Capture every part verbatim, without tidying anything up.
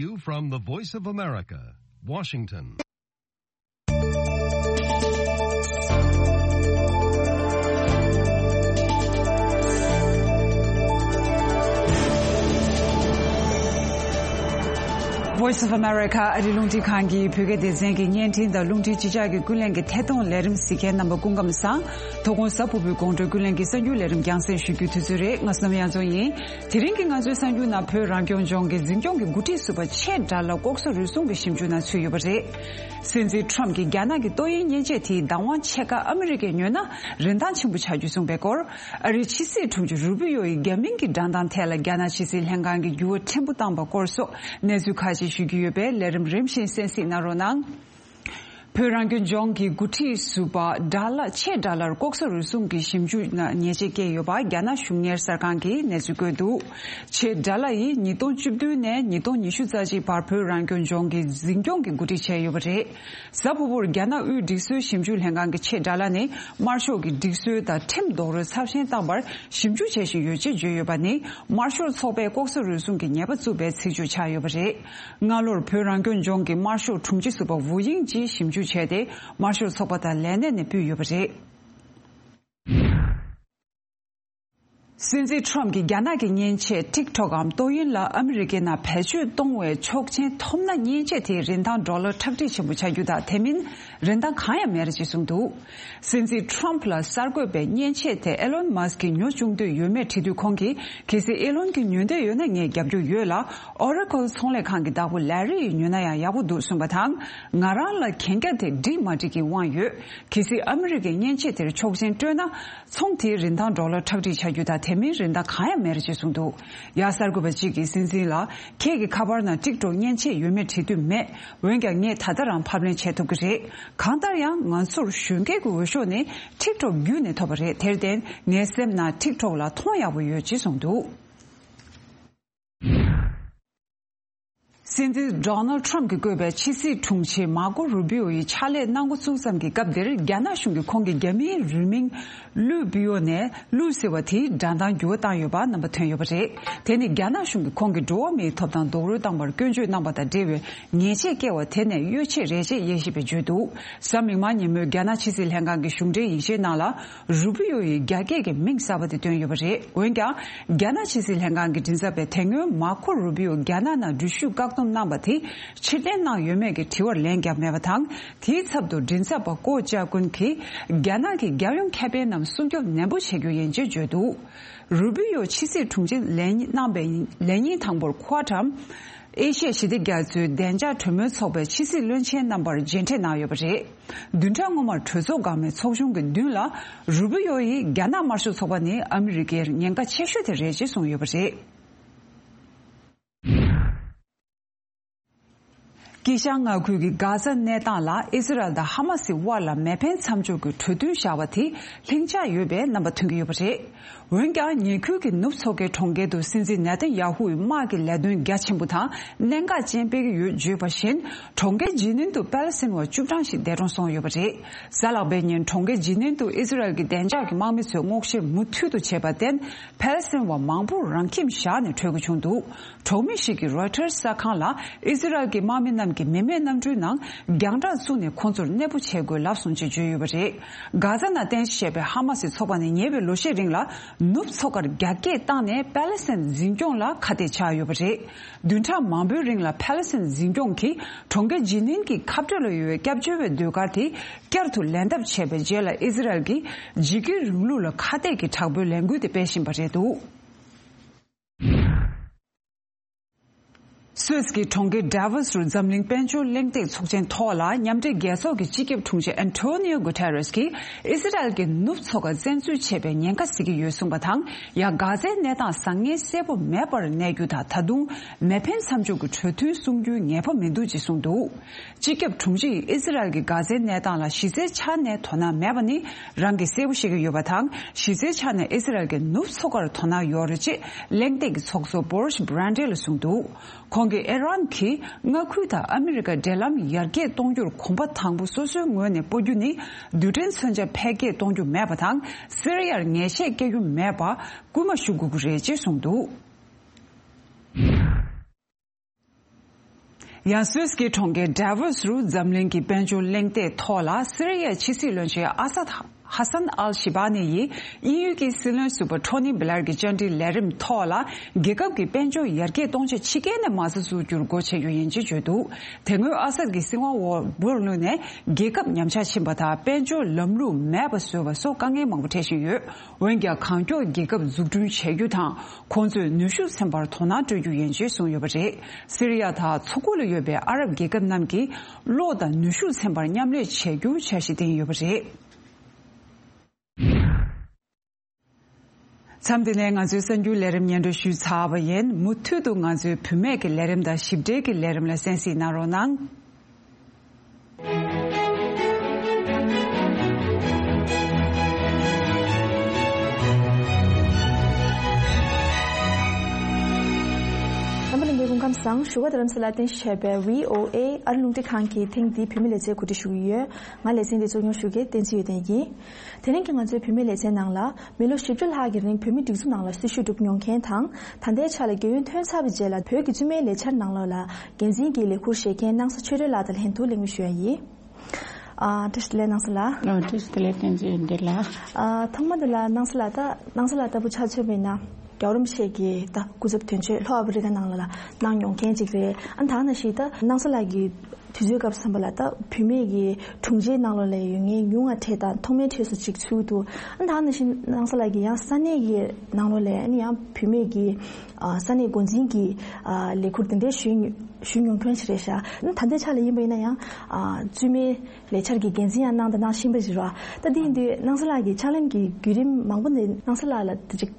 You from the Voice of America, Washington. Voice of America ཨ་རི་རླུང་འཕྲིན་ཁང་གི་བོད་སྐད་སྡེ་ཚན་གྱི་བརྙན་འཕྲིན་དང་རླུང་འཕྲིན་ཕྱི་དྲགས་ཀྱི་ཀུན་གླེང་གི་ཐད་གཏོང་ལས་རིམ་གཟིགས་མཁན་རྣམ་པ་སྐུ་ཁམས་བཟང་། དོ་དགོང་གཟའ་ཕུར་བུའི་དགོང་དྲོའི་ཀུན་གླེང་གི་གསར་འགྱུར་ལས་རིམ་རྒྱང་སྲིང་ཞུ་རྒྱུའི་དུས་ཚོད་རེད། ང་བསོད་ནམས་དབྱངས་འཛོམས་ཡིན། དེ་རིང་གི་ང་ཚོའི་གསར་འགྱུར་ནང་བོད་རང་སྐྱོང་ལྗོངས་ཀྱི་འཛིན་སྐྱོང་གི་འགོ་ཁྲིད་ཟུར་པ་ཆེ་དགྲ་ལྷ་ལྐོག་ཟ་རུལ་སུངས་ཀྱི་ཞིབ་འཇུག་ནང་ཚུད་ཡོད་པ་རེད། སྲིད་འཛིན་ཁྲོམ་གྱིས་རྒྱ་ནག་གི་ཏོག་དབྱིབས་གཉན་ཆས་དེའི་བདག་དབང་ཕྱེད་ཀ་ཨ་མི་རི་ཀས་ཉོས་ན་རིན་ཐང་ཆེན་པོ་ཆགས་རྒྱུ་གསུངས་པའི་སྐོར། ཨ་རིའི་ཕྱི་སྲིད་དྲུང་ཆེ་རུ་པི་ཡོ་ཡིས་རྒྱ་མིང་གི་སྒྲ་གདངས་ཐད་ལ་རྒྱ་ནག་ཕྱི་སྲིད་ལྷན་ཁང་གིས་འགྱུར་བ་ཕྲན་བུ་བཏང་པ་སྐོར་སོགས་གནས་ཚུལ་ཁག་ཅིག་ཞུ་རྒྱུ་ཡོད་པས། ལས་རིམ་རིམ་བཞིན་གསན་གཟིགས་གནང་རོགས་གནང་། བོད་རང་སྐྱོང་ལྗོངས་ཀྱི་འགོ་ཁྲིད་ཟུར་པ་དགྲ་ལྷ་ཆེ་དགྲ་ལྷར་ལྐོག་ཟ་རུལ་སུངས་ཀྱི་ཞིབ་འཇུག་ནང་ཉེས་ཆད་བཀལ་ཡོད་པ་རྒྱ་ནག་གཞུང་གཉེར་གསར་ཁང་གིས་གནས་ཚུལ་བཀོད་འདུག་ཆེ་དགྲ་ལྷ་ཡིས་ཉིས་སྟོང་བཅུ་བདུན་ནས་ཉིས་སྟོང་ཉི་ཤུ་རྩ་གཅིག་བར་བོད་རང་སྐྱོང་ལྗོངས་ཀྱི་འཛིན་སྐྱོང་གི་འགོ་ཁྲིད་བྱས་ཡོད་པ་རེད། གཟའ་ཕུར་བུར་རྒྱ་ནག་དབུས་སྒྲིག་སྲོལ་ཞིབ་འཇུག་ལྷན་ཁང་གི་ཆེ་དགྲ་ལྷ་ནི་དམར་ཤོག་གི་སྒྲིག་སྲོལ་དང་ཁྲིམས་རྡོག་རོལ་ཚབས་ཆེན་བཏང་བར་ཞིབ་འཇུག་བྱེད་བཞིན་ཡོད་ཅེས་བརྗོད་ཡོད་པ་ནི་དམར་ཤོག་ཚོགས་པས་ལྐོག་ཟ་རུལ་སུངས་ཀྱི་ཉེས་པ་བཙུགས་པའི་ཚིག་བརྗོད་ཆགས་ཡོད་པ་རེད། སྔ་ལོར་བོད་རང་སྐྱོང་ལྗོངས་ཀྱི་དམར་ཤོག་དྲུང་ཆེ་ཟུར་པ་ཝུ་དབྱིང་ཅིས་ཞིབ་འཇུག་བྱས་ཏེ། དམར་ཤོག་ཚོགས་པ་དང་ལས་གནས་ནས་ཕུད་ཡོད་པ་རེད། སྲིད་འཛིན་ཁྲོམ་གྱིས་རྒྱ་ནག་གི་མཉེན་ཆས་ཊིག་ཊོག་གམ་ཏོག་དབྱིབས་ལ་ཨ་མི་རི་ཀའི་ནང་བེད་སྤྱོད་གཏོང་བའི་ཆོག་མཆན་ཐོབ་ན་མཉེན་ཆས་དེའི་རིན་ཐང་ཌོ་ལར་ཁྲག་ཁྲིག་ཆེན་པོ་ཆགས་རྒྱུ་དང་དེ་མིན་རིན་ཐང་གང་ཡང་མེད་རེད་ཅེས་གསུངས་འདུག་སྲིད་འཛིན་ཁྲོམ་ལ་གསར་འགོད་པས་མཉེན་ཆས་དེ་ཨེ་ལོན་མཱ་སི་ཀྱིས་ཉོ་བཅུག་འདོད་ཡོད་མེད་དྲིས་དུས་ཁོང་གིས། གལ་སྲིད་ཨེ་ལོན་གྱིས་ཉོ་འདོད་ཡོད་ན་ངས་རྒྱབ་སྐྱོར་ཡོད་ལ། ཨོ་ར་ཀལ་ཚོང་ལས་ཁང་གི་བདག་པོ་ལེ་རི་ཡིས་ཉོས་ན་ཡང་ཡག་པོ་འདུག་གསུངས་པ་དང་། ང་རང་ལ་གན་རྒྱ་དེ་འགྲིག་མ་འགྲིག་གི་དབང་ཡོད། གལ་སྲིད་ཨ་མི་རི་ཀས་མཉེན་ཆས་དེར་ཆོག་མཆན་སྤྲོད་ན། ཚོང་དེའི་རིན་ཐང་ཌོ་ལར་ཁྲག་ཁྲིག་ཆགས་རྒྱུ་དང་དེ་མིན་རིན་ཐང་གང་ཡང་མེད་རེད་ཅེས་གསུངས་འདུག་ཡང་གསར་འགོད་པ་གཅིག་གིས་སྲིད་འཛིན་ལ། ཁྱེད་ཀྱི་ཁ་པར་ནང་ཊིག་ཊོག་མཉེན་ཆས་ཡོད་མེད་དྲི་དུས་མེད། འོན་ཀྱང་ངས་ད་ལྟ་རང་ཕབ་ལེན་བྱེད་ཐུབ་ཀྱི་རེད། གང་ལྟར་ཡང་ང་ཚོར་གཞོན་སྐྱེས་ཀྱི་འོས་ཤོག་ནི་ཊིག་ཊོག་བརྒྱུད་ནས་ཐོབ་པ་རེད། དེར་བརྟེན་ངའི་སེམས་ནང་ཊིག་ཊོག་ལ་མཐོང་ཡག་པོ་ཡོད་ཅེས་གསུངས་འདུག་སྲིད་འཛིན་ཌོ་ནལ་ཊྲམ་གྱིས་བསྐོས་པའི་ཕྱི་སྲིད་དྲུང་ཆེ་མར་ཀོ་རུ་བི་ཡོ་ཡིས་ཕྱག་ལས་གནང་འགོ་བཙུགས་ཙམ་གྱི་སྐབས་འདིར་རྒྱ་ནག་གཞུང་གིས་ཁོང་གི་རྒྱ་མིའི་རུས་མིང་ལུའུ་པི་ཡོ་ནས་ལུའུ་ཟེར་བ་དེའི་སྒྲ་གདངས་འགྱུར་བ་བཏང་ཡོད་པ་རྣམ་པ་ཐོན་ཡོད་པ་རེད། དེ་ནི་རྒྱ་ནག་གཞུང་གིས་ཁོང་གི་འགྲོ་བ་མིའི་ཐོབ་ཐང་རྡོག་རོལ་བཏང་བར་སྐྱོན་བརྗོད་གནང་བ་དང་འབྲེལ་བའི་ཉེས་ཆད་བཀལ་བ་དེ་ནས་གཡོལ་ཆེད་རེད་ཅེས་དབྱེ་ཞིབ་པས་བརྗོད་འདུག་གཟའ་མིག་དམར་ཉིན་མོའི་རྒྱ་ནག་ཕྱི་སྲིད་ལྷན་ཁང་གི་གཞུང་འབྲེལ་ཡིག་ཆའི་ནང་ལ། རུ་པི་ཡོ་ཡི་རྒྱ་སྐད་ཀྱི་མིང་གསར་པ་དེ་བཏོན་ཡོད་པ་རེད། འོན་ཀྱང་། རྒྱ་ནག་ཕྱི་སྲིད་ལྷན་ཁང་གི་མགྲིན་ཚབ་པས་དེ་སྔོན་མར་ཁོ་རུ་པི་ཡོ་རྒྱ་ནག་ནང་འགྲུལ་བཞུད་བཀག་སྡོམ་གནང་བ་དེ་ཕྱིར་འཐེན་གནང་ཡོད་མེད་ཀྱི་དྲི་བར་ལན་བརྒྱབ་མེད་པ་དང་། དེའི་ཚབ་ཏུ་མགྲིན་ཚབ་པ་ཀོ་ཅཱ་ཀུན་གྱིས་རྒྱ་ནག་གི་རྒྱལ་ཡོངས་ཁེ་ཕན་རྣམས་སྲུང་སྐྱོབ་ནན་པོ་བྱེད་རྒྱུ་ཡིན་ཅེས་བརྗོད་འདུག་རུ་པི་ཡོ་ཕྱི་སྲིད་དྲུང་ཆེ་ལས་གནང་བའི་ལས་ཉིན་དང་པོར་ཁོ་ཊམ། ཨེ་ཤི་ཡ་ཞི་བདེ་རྒྱ་མཚོའི་བདེ་འཇགས་གྲོས་མོལ་ཚོགས་པའི་ཕྱི་སྲིད་བློན་ཆེན་རྣམ་པར་མཇལ་འཕྲད་གནང་ཡོད་པ་རེད། བདུན་ཕྲག་སྔོན་མར་གྲོས་ཚོགས་འགག་མེད་ཚོགས་ཆུང་གི་མདུན་ལ་རུ་པི་ཡོ་ཡིས་རྒྱ་ནག་དམར་ཤོག་ཚོགས་པ་ནི་ཨ་མི་རི་ཀའི་ཉེན་ཁ་ཆེ་ཤོས་དེ་རེད་ཅེས་གསུངས་ཡོད་པ་རེད། དཀྱིལ་ཤར་མངའ་ཁུལ་གྱི་གྷ་ཛ་གནས་སྟངས་ལ་ཨི་ཟི་རལ་དང་ཧ་མ་སི་དབར་ལ་མེ་འཕེན་མཚམས་འཇོག་གི་གྲོས་མཐུན་བཞག་པ་དེ་ལྷིང་འཇགས་ཡོད་པའི་རྣམ་པ་ཐོན་གྱི་ཡོད་པ་རེད། འོན་ཀྱང་ཉེ་ཁུལ་གྱི་ནུབ་མཚོ་ཁའི་གྲོང་ཁྱེར་དུ་སྲིད་འཛིན་ནེ་ཐན་ཡ་ཧུའི་དམག་གི་ལས་དོན་རྒྱ་ཆེན་པོ་དང་གནད་འགག་ཅན་སྤེལ་གྱི་ཡོད་བརྗོད་པ་བཞིན། གྲོང་ཁྱེར་ཇི་ནིན་དུ་པེ་ལི་སི་ཐན་བ་བཅུ་གྲངས་ཤིག་འདས་གྲོངས་སོང་ཡོད་པ་རེད། གཟའ་ལྷག་པའི་ཉིན་གྲོང་ཁྱེར་ཇི་ནིན་དུ་ཨི་ཟི་རལ་གྱི་བདེ་འཇགས་ཀྱི་དམག་མི་ཚོས་སྔོག་བཤེར་མུ་མཐུད་དུ་བྱས་པར་བརྟེན། པེ་ལི་སི་ཐན་བ་མང་པོར་རང་ཁྱིམ་བཞག་ནས་བྲོས་དགོས་བྱུང་འདུག་གྲོགས་མི་ཞིག་གིས་རོའི་ཊར་གསར་ཁང་ལ་ཨི་ཟི་རལ་གྱི་དམག་མི་རྣམས་ཀྱིས་མི་མེད་གནམ་གྲུའི་ནང་རྒྱང་བསྒྲགས་བཙུགས་ནས་ཁོང་ཚོར་གནས་སྤོ་བྱེད་དགོས་ལབ་སོང་ཅེས་བརྗོད་ཡོད་པ་རེད། གྷ་ཛ་ནང་རྟེན་གཞི་བྱས་པའི་ཧ་མ་སི་ཚོགས་པ་ནི་ཉེ་བའི་ལོ་ཤས་རིང་ལ་ནུབ་མཚོ་ཁར་རྒྱ་སྐྱེད་བཏང་ནས་པེ་ལི་སི་ཐན་འཛིན་སྐྱོང་ལ་ཁ་གཏད་བཅག་ཡོད་པ་རེད། བདུན་ཕྲག་མང་པོའི་རིང་ལ་པེ་ལི་སི་ཐན་འཛིན་སྐྱོང་གིས་གྲོང་ཁྱེར་ཇི་ནིན་གྱི་ཁ་སྤྲོད་ལ་ཡོད་པའི་སྐྱབས་བཅོལ་བའི་ཟློས་གར་དེ་བསྐྱར་དུ་ལེན་ཐབས་བྱས་པའི་རྗེས་ལ་ཨི་ཟི་རལ་གྱིས་འཇིགས་སྐུལ་རིང་ལུགས་ལ་ཁ་གཏད་ཀྱི་དྲག་པོའི་ལས་འགུལ་དེ་སྤེལ་བཞིན་པ་རེད་འདུག་སུད་སི་གི་གྲོང་ཁྱེར་ཌ་ཝོ་སི་རུ་འཛམ་གླིང་དཔལ་འབྱོར་གླེང་སྟེགས་ཚོགས་ཆེན་ཐོག་ལ་མཉམ་འབྲེལ་རྒྱལ་ཚོགས་ཀྱི་སྤྱི་ཁྱབ་དྲུང་ཆེ་ཨན་ཐོ་ནིའོ་གུ་ཐེ་རེས་ཀྱིས་ཨི་སི་རལ་གྱིས་ནུབ་མཚོ་ཁར་བཙན་འཛུལ་བྱས་པའི་ཉེན་ཁ་གཟིགས་ཀྱི་ཡོད་གསུངས་པ་དང་། ཡང་གྷ་ཛའི་གནས་སྟངས་བཟང་ངན་གསལ་པོ་མེད་པར་གནས་རྒྱུ་དང་། ད་དུང་མེ་འཕེན་མཚམས་འཇོག་གི་གྲོས་མཐུན་སྲུང་རྒྱུའི་ངེས་པ་མི་འདུག་ཅེས་གསུངས་འདུག་སྤྱི་ཁྱབ་དྲུང་ཆེ་ཡིས་ཨི་སི་རལ་གྱིས་གྷ་ཛའི་གནས་སྟངས་ལ་གཞི་རྩའི་ཆ་ནས་དོ་སྣང་མེད་པ་ནི་རང་གིས་གསལ་པོ་ཤེས་ཀྱི་ཡོད་པ་དང་། གཞི་རྩའི་ཆ་ནས་ཨི་སི་རལ་གྱིས་ནུབ་མཚོ་ཁར་དོ་སྣང་ཡོད་རེད་ཅེས་གླེང་སྟེགས་ཀྱི་ཚོགས་གཙོ་བོ་རིས་བྷི་རན་ཌེ་ལ་གསུངས་འདུག་ཁོང་གིས་ཨི་རན་གྱིས་མངའ་ཁུལ་དང་ཨ་མི་རི་ཀ་འབྲེལ་ལམ་ཡར་རྒྱས་གཏོང་རྒྱུར་གོམ་པ་དང་པོ་སོ་སོའི་ངོས་ནས་སྤོ་རྒྱུ་ནི་རྡུལ་ཕྲན་མཚོན་ཆ་འཕེལ་རྒྱས་གཏོང་རྒྱུ་མེད་པ་དང་། སི་རི་ཡར་ཉེས་ཆད་བཀལ་རྒྱུ་མེད་པ་སྐུལ་མ་ཞུ་དགོས་ཀྱི་རེད་ཅེས་གསུངས་འདུག་ཡང་སུད་སི་གི་གྲོང་ཁྱེར་ཌ་ཝོ་སི་རུ་འཛམ་གླིང་གི་དཔལ་འབྱོར་གླེང་སྟེགས་ཐོག་ལ་སི་རི་ཡའི་ཕྱི་སྲིད་བློན་ཆེན་ཨ་སཱད་ཧ་སན་ཨལ་ཞི་བྷ་ནི་ཡིས་དབྱིན་ཡུལ་གྱི་སྲིད་བློན་ཟུར་པ་ཊོ་ནི་བྷི་ལར་གྱི་བཅར་འདྲིའི་ལས་རིམ་ཐོག་ལ། རྒྱལ་ཁབ་ཀྱི་དཔལ་འབྱོར་ཡར་རྒྱས་གཏོང་ཆེད་ཕྱི་རྒྱལ་ནས་མ་རྩ་འཛུགས་རྒྱུར་སྒོ་ཕྱེ་རྒྱུ་ཡིན་ཅེས་བརྗོད་འདུག་དེ་སྔོན་ཨ་སཱད་ཀྱི་སྲིད་དབང་འོག་འབུར་བླུགས་ནས་རྒྱལ་ཁབ་ཉམས་ཆག་ཕྱིན་པ་དང་། དཔལ་འབྱོར་ལམ་ལུགས་མེད་པ་བཟོས་པ་སོགས་དཀའ་ངལ་མང་པོ་འཕྲད་བཞིན་ཡོད། འོན་ཀྱང་། གང་མགྱོགས་རྒྱལ་ཁབ་འཛུགས་སྐྲུན་བྱེད་རྒྱུ་དང་། ཁོང་ཚོས་ནུས་ཤུགས་ཚན་པར་དོ་སྣང་སྤྲོད་རྒྱུ་ཡིན་ཅེས་གསུངས་ཡོད་པ་རེད། སི་རི་ཡ་དང་མཚོ་ཁུག་ལ་ཡོད་པའི་ཨ་རབ་རྒྱལ་ཁབ་རྣམས་ཀྱིས་གློག་དང་ནུས་ཤུགས་ཚན་པར་མཉམ་ལས་བྱེད་རྒྱུ་འཆར་གཞི་བཏིང་ཡོད་པ་རེད། མཚམས་འདི་ནས་ང་ཚོའི་གསར་འགྱུར་ལས་རིམ་སྙན་སྒྲོན་ཞུས་ཚར་བ་ཡིན། མུ་མཐུད་དུ་ང་ཚོའི་བུད་མེད་ཀྱི་ལས་རིམ་དང་ཞིབ་ཕྲའི་གི་ལས་རིམ་ལ་གསན་གཟིགས་གནང་རོགས་གནང་། རྣམ་པ་ལྷན་རྒྱས་སྐུ་ཁམས་བཟང་། བཞུགས་སྒར་རྡ་རམ་ས་ལར་རྟེན་གཞི་བྱས་པའི་བྷི་ཨོ་ཨེ་ཨ་རི་རླུང་འཕྲིན་ཁང་གི་ཐེངས་འདིའི་བུད་མེད་ལེ་ཚན་གོ་སྒྲིག་ཞུ་གི་ཡོད། ང་ལེ་ཚན་འདི་གཙོ་སྐྱོང་ཞུ་མཁན་བསྟན་འཛིན་ཡོན་ཏན་ཡིན། དེ་རིང་གི་ང་ཚོའི་བུད་མེད་ལེ་ཚན་ནང་ལ། མི་ལོ་བཞི་བཅུ་ལྷག་གི་རིང་བོད་མིའི་སྒྲིག་འཛུགས་ནང་ལ་སྲི་ཞུ་སྒྲུབ་མྱོང་མཁན་དང་། ད་ལྟའི་ཆ་ལ་རྒས་ཡོལ་ཐོན་ཚར་བའི་རྗེས་ལ་བོད་ཀྱི་བཙུན་མའི་ལས་འཆར་ནང་ལོགས་ལ་འགན་འཛིན་གྱི་ལས་ཁུར་བཞེས་མཁན་སྣང་ས་ཆོས་སྒྲོན་ལགས་དང་ལྷན་དུ་གླེང་མོལ་ཞུ་ཡ་ཡིན། ཨ། བཀྲ་ཤིས་བདེ་ལེགས་སྣང་ས་ལགས། ཨ། བཀྲ་ཤིས་བདེ་ལེགས་བསྟན་འཛིན་ཡོན་ཏན་ལགས། ཨ། ཐོག་མ་དེ་ལ་སྣང་ས་ལགས། ད་སྣང་ས་ལགས་ལྟ་བུ་ཆ་མཚོན་པ་ཡིན་ན། རྒྱལ་བ་རིན་པོ་ཆེ་གི་ད་སྐུ་ཚབ་དོན་གཅོད་ལྷོ་ཨ་ཕི་རི་ཀ་ནང་ལ་ལ་གནང་མྱོང་མཁན་ཅིག་རེད། ཨ། ད་ནང་བཞིན་ད་སྣང་ས་ལགས་ཀྱི་དུས་ཚོད་སྐབས་སུ་བསམ་པ་ལ། ད་བུད་མེད་ཀྱི་དྲུང་ཆེའི་ནང་ལོགས་ལ་ཡོད་མཁན་ཉུང་བ་གྲས་དང་ཐོག་མའི་གྲས་སུ་ཅིག་ཚུད་འདུག་ཨ། ད་ནང་བཞིན་སྣང་ས་ལགས་ཀྱིས་ཡང་ས་གནས་ཀྱི་ནང་ལོགས་ལ་ཨ་ནི་ཡང་བུད་མེད་ཀྱི། ཨ། ས་གནས་འགོ་འཛིན་གྱི། ཨ། ལས་ཁུར་དེ་འདྲའི་ཞུས་ཞུས་མྱོང་མཁན་ཞིག་རེད་ཤག་ཨ། ད་ལྟའི་ཆ་ལ་ཡིན་པ་ཡིན་ན་ཡང་། ཨ། བཙུན་མའི་ལས་འཆར་གྱི་འགན་འཛིན་ཡང་གནང་དང་གནང་བཞིན་པ་ཞིག་རེད་བ། ད་འདི་ཡིན་དུས་སྣང་ས་ལགས་ཀྱི་ཕྱག་ལེན་གྱི་བརྒྱུད་རིམ་མང་པོ་འདི་སྣང་ས་ལགས་ལ་དེ་ཅིག་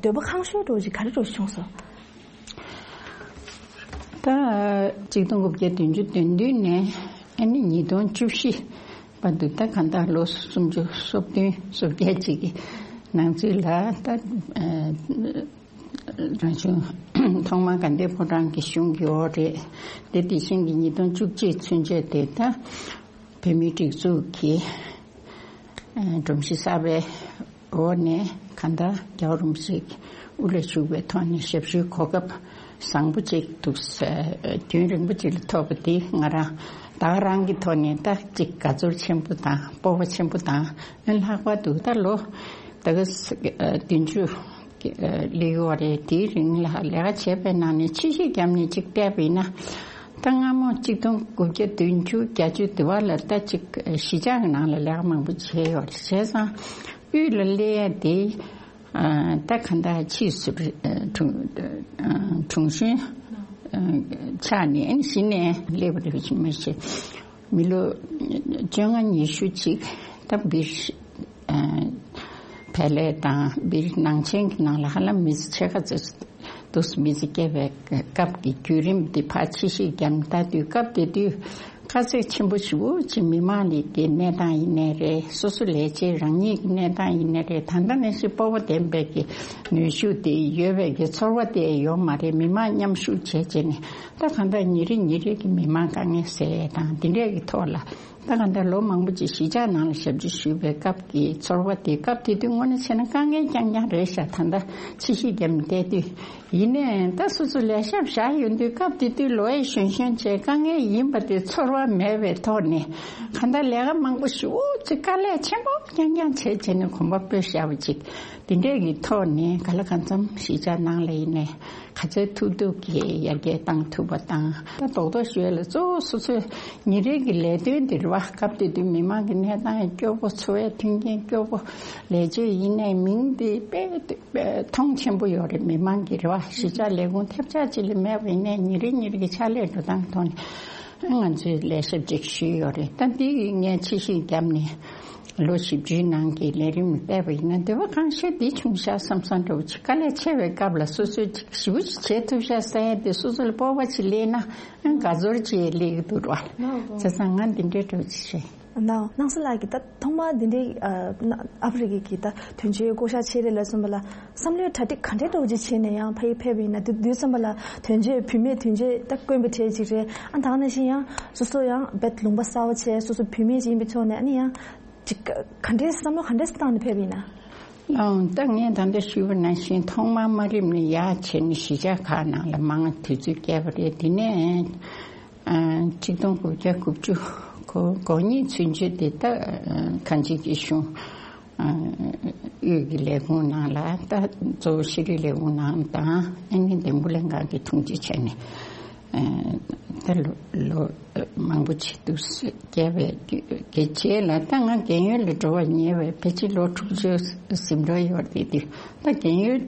འདོད་པ་ཁེངས་ཤོས་འདྲ་བོ་ཅིག་ག་རེ་འདྲ་བོ་ཞིག་བྱུང་སོང་། ད་གཅིག་སྟོང་དགུ་བརྒྱ་བདུན་ཅུ་དོན་བདུན་ནས་ཨ་ནི་ཉིས་སྟོང་བཅུ་བཞི་བར་དུ། ད་གང་ལྟར་ལོ་སུམ་ཅུ་སོ་བདུན་སོ་བརྒྱད་ཅིག་གི་ནང་ཚུད་ལ། ད་ཨ། རང་གཞུང་ཐོག་མར་དགའ་ལྡན་ཕོ་བྲང་གི་གཞུང་གི་འོག་རེད། དེ་དེ་བཞིན་གྱི་ཉིས་སྟོང་བཅུ་གཅིག་ཚུན་ཆད་དེ་ད་བོད་མིའི་སྒྲིག་འཛུགས་ཀྱི་ཨ། སྒྲོམ་གཞི་གསར་པའི་འོག་ནས་གང་ལྟར་རྒྱལ་བ་རིན་པོ་ཆེ་དབུ་ལ་བཞུགས་པའི་ཐོག་ནས་ཞབས་ཞུའི་གོ་སྐབས་བཟང་པོ་ཅིག་འདུག་ཟེར། རྒྱུན་རིང་པོ་ཅིག་ལ་ཐོབ་པ་འདི་ང་རང་ད་ག་རང་གི་ཐོག་ནས་ད་ཅིག་དགའ་ཚོར་ཆེན་པོ་དང་སྤོབས་པ་ཆེན་པོ་དང་། ལྷག་པར་དུ་ད་ལོ་ད་ག་བདུན་ཅུ་སླེབས་ཡོད་རེད། དེའི་རིང་ལ་ལས་ཀ་བྱས་པའི་ནང་ནས་ཕྱི་བཤིག་བརྒྱབ་ནས་ཅིག་བལྟས་པ་ཡིན་ན། ད་སྔ་མོ་གཅིག་སྟོང་དགུ་བརྒྱ་བདུན་ཅུ་བརྒྱད་ཅུ་དེ་བ་ལ་ད་ཅིག་གཞིས་ཆགས་ཀྱི་ནང་ལ་ལས་ཀ་མང་པོ་བྱས་ཡོད་རེད། བྱས་ཙང་དབུས་ལ་སླེབས་ཡ་དེ། ཨ། ད་གང་ལྟར་ཕྱིས་སུ་དྲུང་དྲུང་གཞོན་ཆགས་ནས་གཞི་ནས་སླེབས་པ་རེད་མ་གཞི། མི་ལོ་བཅོ་ལྔ་ཉི་ཤུ་ཅིག་ད་སྦིར། ཨ། བལ་ལས་དང་སྦིར་ནང་ཆེན་གྱི་ནང་ལ་ཧ་ལམ་མི་ཚེ་ཕྱེད་ཀ་ཙམ་འདུག་མི་ཚེ་སྐྱེལ་བའི་སྐབས་ཀྱི་བརྒྱུད་རིམ་འདི་ཕར་ཕྱི་བཤིག་བརྒྱབ་ནས། ད་དུས་སྐབས་དེ་དུས་དཀའ་ཚེགས་ཆེན་པོ་ཞེ་པོ་ཅིག་མི་མང་ལ་གི་གནས་སྟངས་ཡིན་ནའི་རེད། སོ་སོ་ལས་བྱེད་རང་ཉིད་ཀྱི་གནས་སྟངས་ཡིན་ནའི་རེད། ད་ལྟ་ནང་བཞིན་སྤོབས་པ་ལྡན་པའི་གི་ནུས་ཤུགས་དེ་ཡོད་པའི་གི་ཚོར་བ་དེ་ཡོད་མ་རེད། མི་མང་མཉམ་ཞུགས་བྱས་བྱས་ནས་ད་གང་ལྟར་ཉིན་རེ་ཉིན་རེ་གི་མི་མང་དཀའ་ངལ་སེལ་ཡས་དང་འདི་འདྲས་ཀྱི་ཐོག་ལ། ད་གང་ལྟར་ལོ་མང་པོ་ཅིག་གཞིས་ཆགས་ནང་ལ་ཞབས་ཕྱི་ཞུས་པའི་སྐབས་ཀྱི་ཚོར་བ་དེ། སྐབས་དེ་དུས་དངོས་གནས་བྱས་ན་དཀའ་ངལ་རྐྱང་རྐྱང་རེད་ཤག་ད་ལྟ་ཕྱི་བཤིག་བརྒྱབ་ནས་བལྟས་དུས། ཡིན་ནའི་ད་སོ་སོ་ལས་ཞབས་བཞག་ཡོང་དུས་སྐབས་དེ་དུས་ལོ་ཡང་གཞོན་གཞོན་བྱས། དཀའ་ངལ་ཡིན་པ་དེ་ཚོར་བ་མེད་པའི་ཐོག་ནས་གང་ལྟར་ལས་ཀ་མང་པོ་ཞེ་པོ་ཅིག་དཀའ་ལས་ཆེན་པོ་རྐྱང་རྐྱང་བྱས་བྱས་ནས་གོམ་པ་སྤོས་བཞག་པ་ཅིག་དེ་འདྲས་ཀྱི་ཐོག་ནས་ག་ལ་གང་འཚམ་གཞིས་ཆགས་ནང་ལ་ཡིན་ནའི་ག་ཚོད་ཐུབ་ཐུབ་ཀྱིས་ཡར་རྒྱས་བཏང་ཐུབ་པ་དང་། ད་རྡོག་རྡོག་ཞུ་ཡ་ལ་གཙོ་བོ་སོ་སོའི་ཉིན་རེ་གི་ལས་དོན་དེ་རེད་བ། སྐབས་དེ་དུས་མི་མང་གི་གནས་སྟངས་སྐྱོ་པོ། འཚོ་བའི་མཐུན་རྐྱེན་སྐྱོ་པོ། ལས་བྱེད་ཡིན་ནའི་མིང་དེ་དཔེ་དཔེ་མཐོང་ཆེན་པོ་ཡོད་རེད། མི་མང་གི་རེད་བ། གཞིས་ཆགས་ལས་ཁུངས་ཐེབས་ཆག་ཅིག་ལས་མེད་པ་ཡིན་ནའི་ཉིན་རེ་ཉིན་རེ་གི་ཕྱག་ལས་འགྲོ་སྟངས་ཐོག་ནས་ང་ཚོས་ལས་ཞབས་ཅིག་ཞུས་ཡོད་རེད། ད་འདི་ངས་ཕྱི་བཤིག་བརྒྱབ་ནས། ལོ་བཞི་བཅུའི་ནང་གི་ལས་རིམ་བལྟས་པ་ཡིན་ན་འདོད་པ་གང་ཤེས་འདི་བྱུང་ཤག་བསམ་བསམ་འདྲ་བོ་ཅིག་དཀའ་ལས་ཆེ་བའི་སྐབས་ལ་སོ་སོས་ཅིག་ཞེ་པོ་ཅིག་བྱེད་ཐུབ་ཤག་ཟེར་ཡ་དེ་སོ་སོ་ལ་སྤོབས་པ་ཅིག་སླེབས་ན་ཨང་དགའ་ཚོར་ཅིག་སླེབས་ཀྱི་འདུག་ར། བྱས་ཙང་ང་འདི་འདྲའི་འདྲ་བོ་ཅིག་བྱས། ནའོ། སྣང་ས་ལགས་ཀྱིས་ད་ཐོག་མར་འདི་འདྲའི་ཨ་ཨ་ཧྥེ་རི་ཁའི་གི་ད་དོན་གཅོད་བསྐོ་བཞག་བྱས་རེད་ལབ་སོང་བ་ལ་བསམ་བློའི་གྲ་སྒྲིག་ག་འདྲའི་འདྲ་བོ་ཅིག་བྱས་ནས་ཡང་ཕ་གིར་ཕེབས་པ་ཡིན་ན། དུས་དུས་ཙམ་པ་ལ་དོན་གཅོད་བུད་མེད་དོན་གཅོད་ད་དཀོན་པ་གྲས་ཅིག་རེད། ཨ་ད་ག་ནང་བཞིན་ཡང་སོ་སོ་ཡང་རྦད་ལུང་པ་གསར་པ་བྱས། སོ་སོ་བུད་མེད་ཅིག་ཡིན་པའི་ཐོག་ནས་ཨ་ནི་ཡང་ཅིག་ག་ག་འདྲའི་བསམ་བློ་ག་འདྲའི་བཏང་ནས་ཕེབས་པ་ཡིན་ན། ཨང་། ད་ངས་ད་ལྟ་ཞུས་པ་ནང་བཞིན་ཐོག་མར་དམའ་རིམ་ནས་ཡར་བྱས་ནས་གཞིས་ཆགས་ཁག་ནང་ལ་མང་དུས་ཚོད་བསྐྱལ་བ་རེད། དེ་ནས་ཨ། ཆིག་སྟོང་དགུ་བརྒྱ་དགུ་བཅུ་གོ་གོ་གཉིས་ཚུན་ཆད་དེ་ད་གང་ཅི་གི་གཞུང་དབུས་ཀྱི་ལས་ཁུངས་ནང་ལ་ད་གཙོ་བོ་ཤེས་རིག་ལས་ཁུངས་ནང་དང་ཨ་ནི་འདེམས་བསྐོ་ལྷན་ཁང་གི་དྲུང་ཆེ་བྱས་ནས་ད་ལོ་ལོ་མང་པོ་ཅིག་འདུག་བསྐྱལ་བའི་གི་རྗེས་ལ་ད་ང་རྒན་ཡོལ་ལ་འགྲོ་བར་ཉེ་བའི་ཕལ་ཆེར་ལོ་དྲུག་ཅུ་ཟིན་འགྲོ་ཡོད་དེ་དུས་ད་རྒན་ཡོལ་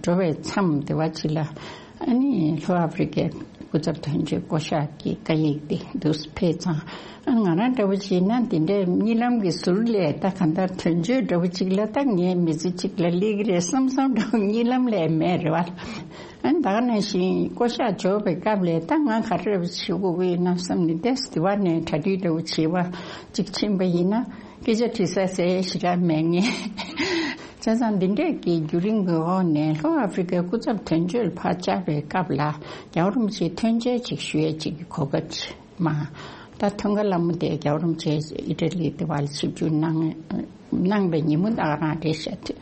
འགྲོ་བའི་མཚམས་དེ་བ་ཅིག་ལ། ཨ་ནི་ལྷོ་ཨ་ཧྥེ་རི་ཀའི་སྐུ་ཚབ་དོན་གཅོད་བསྐོ་གཞག་གི་བཀའ་ཡིག་དེ་འདུག་སེ་ཕེབས་ཙང་། ཨ་ང་རང་འདྲ་བོ་ཅིག་ན་འདི་འདྲའི་གཉིད་ལམ་གྱི་ཟུར་ལས་ད་ག་འདྲ་དོན་གཅོད་འདྲ་བོ་ཅིག་ལ་ད་ངའི་མི་ཚེ་གཅིག་ལ་སླེབས་ཀྱི་རེད་བསམ་བསམ་འདྲ་བོ་གཉིད་ལམ་ལས་མེད་རེད་བ། ཨ་ནི་ད་ག་ནང་བཞིན་བསྐོ་གཞག་འབྱོར་བའི་སྐབས་ལས་ད་ང་ག་རེ་བྱེད་དགོས་ཀྱི་ཡིན་ན་བསམ་ནས་ཏེས་དེ་བ་ནས་གྲ་སྒྲིག་འདྲ་བོ་བྱེད་པ་ཅིག་ཕྱིན་པ་ཡིན་ན། སྐད་ཆ་དྲི་ས་ཟེར་ཞེ་དྲག་མེད་ངེས། བྱས་ཙང་འདི་འདྲས་ཀྱི་བརྒྱུད་རིམ་གྱི་འོག་ནས་ལྷོ་ཨ་ཧྥེ་རི་ཀའི་སྐུ་ཚབ་དོན་གཅོད་ལ་ཕར་བཅར་བའི་སྐབས་ལ་རྒྱལ་བ་རིན་པོ་ཆེའི་ཐོན་འབྱེད་ཅིག་ཞུ་ཡས་ཅིག་གི་གོ་སྐབས་ཅིག་མ། ད་མཐོང་ག་ལ་མོ་དེ་རྒྱལ་བ་རིན་པོ་ཆེ་ཨི་ཊ་ལི་དེ་བར་ཆིབས་བསྒྱུར་གནང་གནང་བའི་ཉིན་མོ་ད་ག་རང་རེད་ཤག་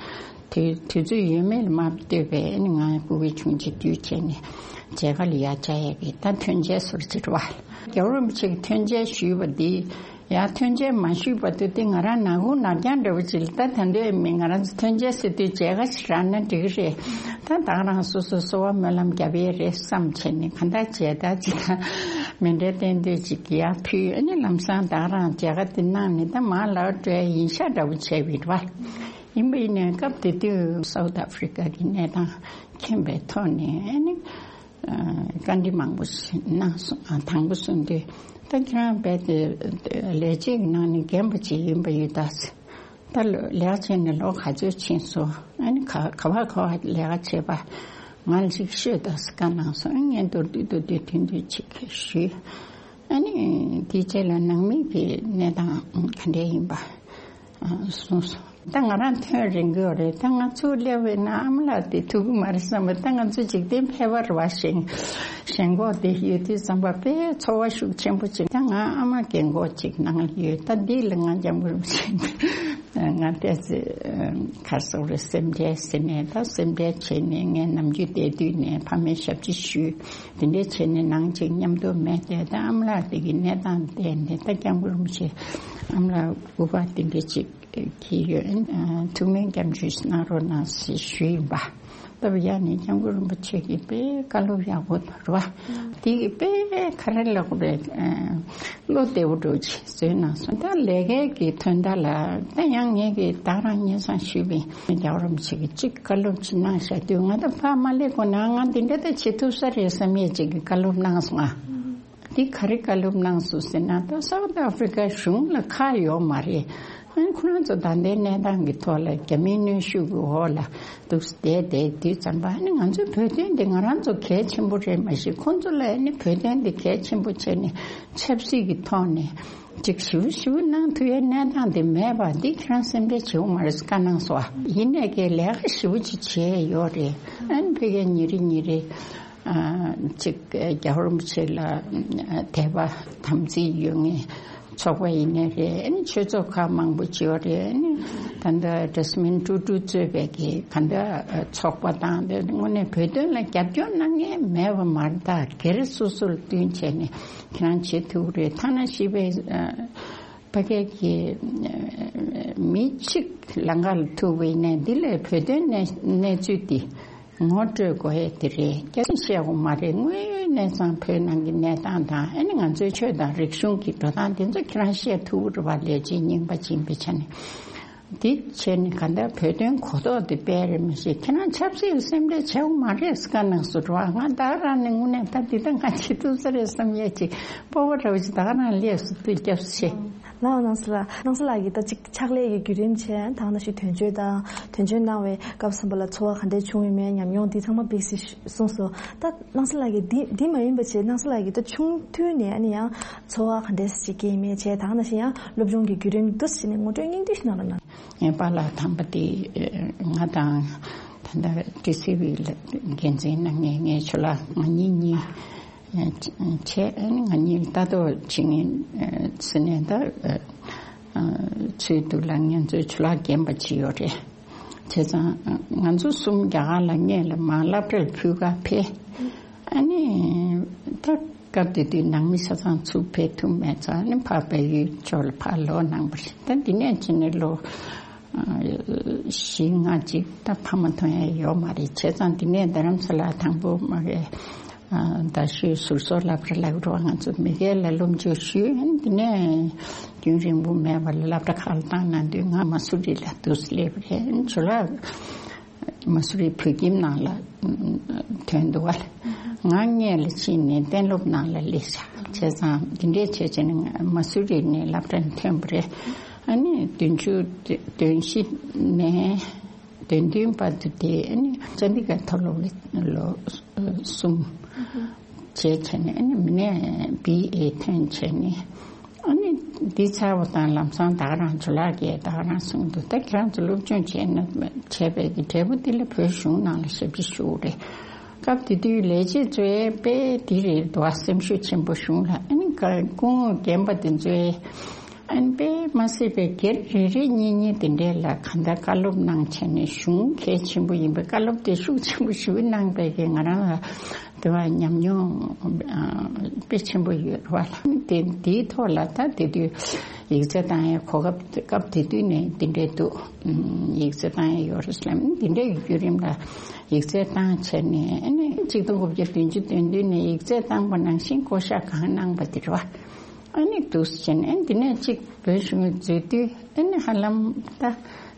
དུས་དུས་ཚོད་ཡོད་མེད་ལ་མ་ལྟོས་པའི་ཨ་ནི་ང་སྐུ་གི་ཆུང་ཆེ་དུས་བྱས་ནས་མཇལ་ཁ་ལ་ཡར་བཅར་ཡས་ཀྱི་ད་ཐོན་འབྱེད་ཟུར་ཅིག་རེད་བ། རྒྱལ་བ་རིན་པོ་ཆེ་གི་ཐོན་འབྱེད་ཞུས་པ་འདི། ཡང་ཐོན་འབྱེད་མ་ཞུས་བར་དུ་དེ་ང་རང་ནག་ཁུང་ནག་རྐྱང་འདྲ་བོ་ཅིག་ལ་ད་ད་འདོད་མི་ང་རང་ཚོ་ཐོན་འབྱེད་ཟེར་དུས་མཇལ་ཁ་ཞིག་རག་ན་འགྲིག་གི་རེད། ད་ད་ག་རང་སོ་སོ་གསོལ་བ་སྨོན་ལམ་རྒྱབ་ཡས་རེད་བསམ་བྱས་ནས་གང་ལྟར་མཇལ་དར་ཅིག་དང་མཎྜལ་རྟེན་མདོས་ཅིག་ཡར་ཕུལ། ཨ་ནི་ལམ་སང་ད་ག་རང་མཇལ་ཁ་དེ་གནང་ནས་ད་མར་ལོག་འགྲོ་ཡས་ཡིན་ཤག་འདྲ་བོ་བྱས་པ་རེད་བ། ཡིན་པ་ཡིན་ནའི་སྐབས་དེ་དུས་སའུ་ཐི་ཨ་ཧྥེ་རི་ཀ་གི་གནས་སྟངས་མཁྱེན་པའི་ཐོག་ནས་ཨ་ནི། བཀའ་འདྲི་མང་པོ་ཞིག་གནང་སོང་། དང་པོ་གསུངས་དུས་ད་ཁྱེད་རང་རྦད་དེ་ལས་བྱེད་ཀྱི་ནང་ནས་རྒན་པ་ཅིག་ཡིན་པ་ཡིན་ད། ད་ལོ་ལས་ཀ་བྱས་ནས་ལོ་ག་ཚོད་ཕྱིན་སོང་། ཨ་ནི་ག་ག་བ་ག་བ་ལས་ཀ་བྱས་པ་ང་ལ་ཅིག་ཤོད་དང་ཟེར་བཀའ་གནང་སོང་། ཨ་ངས་མདོར་བསྡུས་མདོར་བསྡུས་ཐུང་ཐུང་ཅིག་ཞུས། ཨ་ནི་དེའི་རྗེས་ལ་ནང་མི་གི་གནས་སྟངས་ག་འདྲས་ཡིན་པ་གསུངས་སོང་། ད་ང་རང་ཐོན་རན་གྱི་ཡོད་རེད། ད་ང་ཚུར་སླེབས་པས་ན་ཨ་མ་ལགས་དེ་ཐུག་གི་མ་རེད་བསམ་པ། ད་ང་ཚོ་འཇིག་རྟེན་ཕལ་པར་བ་ཞེན་ཞེན་ཁོག་དེ་ཡོད་དུས་ཙམ་པ་དཔེ་ཚོར་བ་ཤུགས་ཆེན་པོ་ཅིག་ད་ང་ཨ་མ་རྒན་གོག་ཅིག་ནང་ལ་ཡོད། ད་འདི་ལ་ང་སྐྱབས་མགོན་རིན་པོ་ཆེ་ང་ཏོག་ཙམ་ག་རེ་ཟེར་དགོས་རེད། སེམས་ཁྲལ་ཟེར་ནས་ད་སེམས་ཁྲལ་བྱས་ནས་ངས་ནམ་རྒྱུན་བསྡད་དུས་ནས་ཕ་མའི་ཞབས་ཕྱི་ཞུས། དེ་འདྲས་བྱས་ནས་ནང་ཅིག་མཉམ་དུ་མེད་དེ་ད་ཨ་མ་ལགས་དེ་གི་གནས་སྟངས་བལྟས་ནས་ད་སྐྱབས་མགོན་རིན་པོ་ཆེ་ཨ་མ་ལགས་སྐུ་པར་དེ་འདྲས་ཅིག་གི་ཡོད། ཨ་ཐུགས་སྨོན་སྐྱབས་འཇུག་གནང་རོགས་གནང་ཞེས་ཞུས་ཡིན་པ། སྟབས་ཡག་ནས་སྐྱབས་མགོན་རིན་པོ་ཆེ་གིས་དཔེ་བཀའ་སློབ་ཡག་པོ་རེད་བ། དེ་གི་དཔེ་ག་རེ་ལབ་དགོས་རེད། ཨ་བློ་བདེ་པོ་འདྲ་ཅིག་བཟོས་གནང་སོང་། ད་ལས་ཀའི་གི་དོན་དག་ལ་ད་ཡང་ངས་གི་ད་རང་སྙན་སེང་ཞུས་པ་ཡིན། རྒྱལ་བ་རིན་པོ་ཆེ་གིས་གཅིག་བཀའ་སློབ་ཅིག་གནང་བཞག་དུས་ང་ད་ཕར་མ་སླེབས་གོང་ནས་ང་འདི་འདྲ་ད་བྱེད་ཐུབ་ས་རེད་བསམ་ཡས་ཅིག་གི་བཀའ་སློབ་གནང་སོང་ང་། འདི་ག་རེ་བཀའ་སློབ་གནང་སོང་ཟེར་ན་ད་སའུ་ཐི་ཨ་ཧྥི་རི་ཀ་གཞུང་ལ་ཁག་ཡོད་མ་རེད། ཨ་ནི་ཁོ་རང་ཚོ་ད་ལྟའི་གནས་སྟངས་ཀྱི་ཐོག་ལ་རྒྱ་མིའི་གནོན་ཤུགས་ཀྱི་འོག་ལ་འདུག་བསྡད་བསྡད་དུས་ཙམ་པ། ཨ་ནི་ང་ཚོའི་བོད་དོན་འདི་ང་རང་ཚོ་གལ་ཆེན་པོ་རེད་མ་གཞི་ཁོང་ཚོ་ལ་ཨ་ནི་བོད་དོན་འདི་གལ་ཆེན་པོ་བྱས་ནས་ཆབ་སྲིད་ཀྱི་ཐོག་ནས་ཅིག་ཞིབ་ཞིབ་གནང་ཐུབ་ཡའི་གནས་སྟངས་དེ་མེད་པ་འདི་ཁྱེད་རང་སེམས་ཁྲལ་བྱེད་དགོས་མ་རེད་ཟེར་བཀའ་གནང་སོང་། ཡིན་ནའི་གི་ལས་ཀ་ཞེ་པོ་ཅིག་བྱས་ཡོད་རེད། ཨ་ནི་ཕ་གིར་ཉིན་རེ་ཉིན་རེ་ཨ་ཅིག་རྒྱལ་བ་རིན་པོ་ཆེ་ལ་དད་པ་དམ་ཚིག་ཡོད་མཁན་ཚོགས་པ་ཡིན་ནའི་རེད། ཨ་ནི་ཆོས་ཚོགས་ཁག་མང་པོ་ཅིག་ཡོད་རེད། ཨ་ནི་ད་ལྟ་ཇ་སི་མིན་ཀྲུའུ་ཀྲུའུ་གཙོས་པའི་གི་ག་འདྲ་ཚོགས་པ་དང་དེ་དངོས་གནས་བོད་དོན་ལ་རྒྱབ་སྐྱོར་གནང་མཁན་མེད་པ་མ་རེད། ད་སྒེར་སོ་སོ་ལ་བསྟུན་བྱས་ནས་ཁྱེད་རང་བྱེད་ཐུབ་ཀྱི་རེད། ཐ་ན་ཤི་བའི་ཕ་གི་གི་མི་གཅིག་ལམ་ཁ་ལ་ཐུག་པ་ཡིན་ནའི་འདི་ལས་བོད་དོན་གནས་གནས་ཚུལ་འདི་ངོ་སྤྲོད་དགོས་ཡས་དེ་རེད། སྐྱག་རྫུན་བཤད་དགོས་མ་རེད། དངོས་ཡོད་གནས་ཚང་བོད་ནང་གི་གནས་སྟངས་དང་ཨ་ནི་ང་ཚོའི་ཆོས་དང་རིག་གཞུང་གི་འགྲོ་སྟངས་དེ་ཚོ་ཁྱེད་རང་བཤད་ཐུབ་ཀྱི་རེད་པ། ལས་བྱེད་རྙིང་པ་ཅིག་ཡིན་པའི་ཆ་ནས། འདི་བྱས་ནས་ག་འདྲ་བོད་དོན་གོ་རྟོགས་དེ་སྤེལ་རེད་མི་ཤེས། ཁྱེད་རང་ཆབ་སྲིད་ལ་སེམས་ཁྲལ་བྱེད་དགོས་མ་རེད་ཟེར་བཀའ་གནང་སོང་རེད་པ། ང་ད་ག་རང་ནས་དངོས་གནས་ད་འདི་ད་ང་བྱེད་ཐུབ་ས་རེད་བསམ་ཡས་ཅིག་སྤོབས་པ་འདྲ་བོ་ཅིག་ད་ག་རང་སླེབས་སོང་། དུས་སྐབས་སུ་ཆེ། ལགས་སྣང་སྲིད་ལགས། སྣང་སྲིད་ལགས་ཀྱིས་ད་ཅིག་ཕྱག་ལས་ཀྱི་བརྒྱུད་རིམ་བྱས་ད་ག་ནང་བཞིན་དོན་གཅོད་དང་དོན་གཅོད་གནང་བའི་སྐབས་སུ་བབ་པ་ལ་ཚོར་བ་ག་འདྲས་བྱུང་ཡོད་མེད་ཉམས་མྱོང་འདི་ཚང་མ་དཔེ་སྲིད་གསུངས་སོང་། ད་སྣང་སྲིད་ལགས་ཀྱིས་འདི་འདི་མ་ཡིན་པ་བྱས་སྣང་སྲིད་ལགས་ཀྱིས་ད་ཆུང་དུས་ནས་ཨ་ནི་ཡང་ཚོར་བ་ག་འདྲས་ཅིག་སྐྱེས་མེད་བྱས་ད་ག་ནང་བཞིན་ཡང་སློབ་སྦྱོང་གི་བརྒྱུད་རིམ་འདུག་སེ་བྱས་ནས་ངོ་སྤྲོད་སྙིང་བསྡུས་ཤིག་གནང་རོགས་གནང་། ངའི་པཱ་ལགས་དམ་པ་དེ་ང་དང་ད་ལྟ་ཊི་སི་ཝི་ལ་འགན་འཛིན་གནང་མཁན་ངའི་ཇོ་ལགས་ང་གཉིས་གཉིས། བྱས་ཨ་ནི་ང་གཉིས་ལྟ་རྟོག་བྱེད་མཁན་ཟེར་ནས་ད་ཚུལ་འདུག་ལ་ང་ཚོའི་ཇོ་ལགས་རྒན་པ་ཅིག་ཡོད་རེད། བྱས་ཙང་ང་ཚོ་གསུམ་རྒྱ་གར་ལ་སྔོན་ལ་མར་སློབ་གྲྭར་ཕུལ་ག་ཕེབས། ཨ་ནི་ད་ སྐབས་དེ་དུས་ནང་མི་ཆ་ཚང་ཚུར་ཕེབས་ཐུབ་མེད་ཙང་ནི་ཕར་བལ་ཡུལ་ཕྱོགས་ལ་ཕར་ལོག་གནང་བ་རེད། ད་འདི་ནས་ཕྱིན་ནས་ལོ་ཨ་བཞི་ལྔ་ཅིག་ད་ཕ་མ་མཐོང་ཡ་ཡོད་མ་རེད། བྱས་ཙང་འདི་ནས་རྡ་རམ་ས་ལ་དང་པོ་མ་གི་ཨ་རྡ་ཤོད་ཟུར་བཟོ་སློབ་གྲྭ་ལབ་རོགས། ང་ཚོ་མི་སྒེར་ལ་སློབ་འཇུག་ཞུས། འདི་ནས་རྒྱུན་རིང་པོ་མེད་པར་སློབ་གྲྭ་ཁག་ལ་བཏང་གནང་དུས་ང་མ་སུ་རི་ལ་འདུག་སེ་སླེབས་པ་རེད། ཇོ་ལགས་མ་སུ་རི་བོད་ཁྱིམ་ནང་ལ་ཐོན་འདུག་བ། ང་སྔོན་ལ་ཕྱིན་ནས་གཏན་སློབ་ནང་ལ་སླེབས་བྱས། བྱས་ཙང་འདི་འདྲས་བྱས་བྱས་ནས་མ་སུ་རི་ནས་སློབ་གྲྭ་ནས་ཐོན་པ་རེད། ཨ་ནི་བདུན་ཅུ་དོན་བཞི་ནས་དོན་བདུན་བར་དུ་དེ་ཨ་ནི་ཅན་དི་གྷར་མཐོ་སློབ་ལ་ལོ་གསུམ་བྱས་བྱས་ནས་ཨ་ནི་མི་ནས་བི་ཨེ་ཐོན་བྱས་ནས། ཨ་ནི་འདི་ཚར་བ་དང་ལམ་སང་ད་ག་རང་ཇོ་ལགས་ཀྱིས་ད་ག་རང་གསུངས་འདུག་ད་ཁྱེད་རང་ཚོ་སློབ་སྦྱོང་བྱས་ན་བྱས་པའི་གི་འབྲས་བུ་འདི་ལ་བོད་གཞུང་ནང་ལ་ཞབས་ཕྱི་ཞུ་དགོས་རེད། སྐབས་དེ་དུས་ལས་བྱེད་ཚོའི་དཔེ་འདི་རེད་འདུག་ཨ། སེམས་ཤུགས་ཆེན་པོ་གཞུང་ལ། ཨ་ནི་སྐུ་ངོ་རྒན་པ་དེ་ཚོའི་ཨ་ནི་དཔེ་མ་སྲིད་པའི་སྒེར་རེ་རེ་གཉིས་གཉིས་དེ་འདྲས་ལ་གང་ལྟར་བཀའ་སློབ་གནང་བྱས་ནས་གཞུང་གལ་ཆེན་པོ་ཡིན་པའི་བཀའ་སློབ་དེ་ཤུགས་ཆེན་པོ་ཞེ་པོ་གནང་པའི་གི་ང་རང་ལ་དེ་བ་ཉམས་མྱོང་ཨ་དཔེ་ཆེན་པོ་ཡོད་རེད་བ་ལ། དེ་འདིའི་ཐོག་ལ་ད་དེ་དུས་ཡིག་ཚད་བཏང་ཡའི་གོ་སྐབས་སྐབས་དེ་དུས་ནས་འདི་འདྲས་འདུག་ཨ་ཡིག་ཚད་བཏང་ཡ་ཡོད་རེད་ཟེར་ལབ། འདི་འདྲས་ཀྱི་བརྒྱུད་རིམ་ལ་ཡིག་ཚད་བཏང་བྱས་ནས་ཨ་ནི་གཅིག་སྟོང་དགུ་བརྒྱ་བདུན་ཅུ་དོན་བདུན་ནས་ཡིག་ཚད་བཏང་པ་ནང་བཞིན་བསྐོ་བཞག་གང་གནང་པ་དེ་རེད་བ། ཨ་ནི་འདུག་སེ་བྱས་ནས་ཨ་ནི་འདི་ནས་གཅིག་བོད་གཞུང་གི་འཛུལ་དུས་ཨ་ནི་ཧ་ལམ་ད་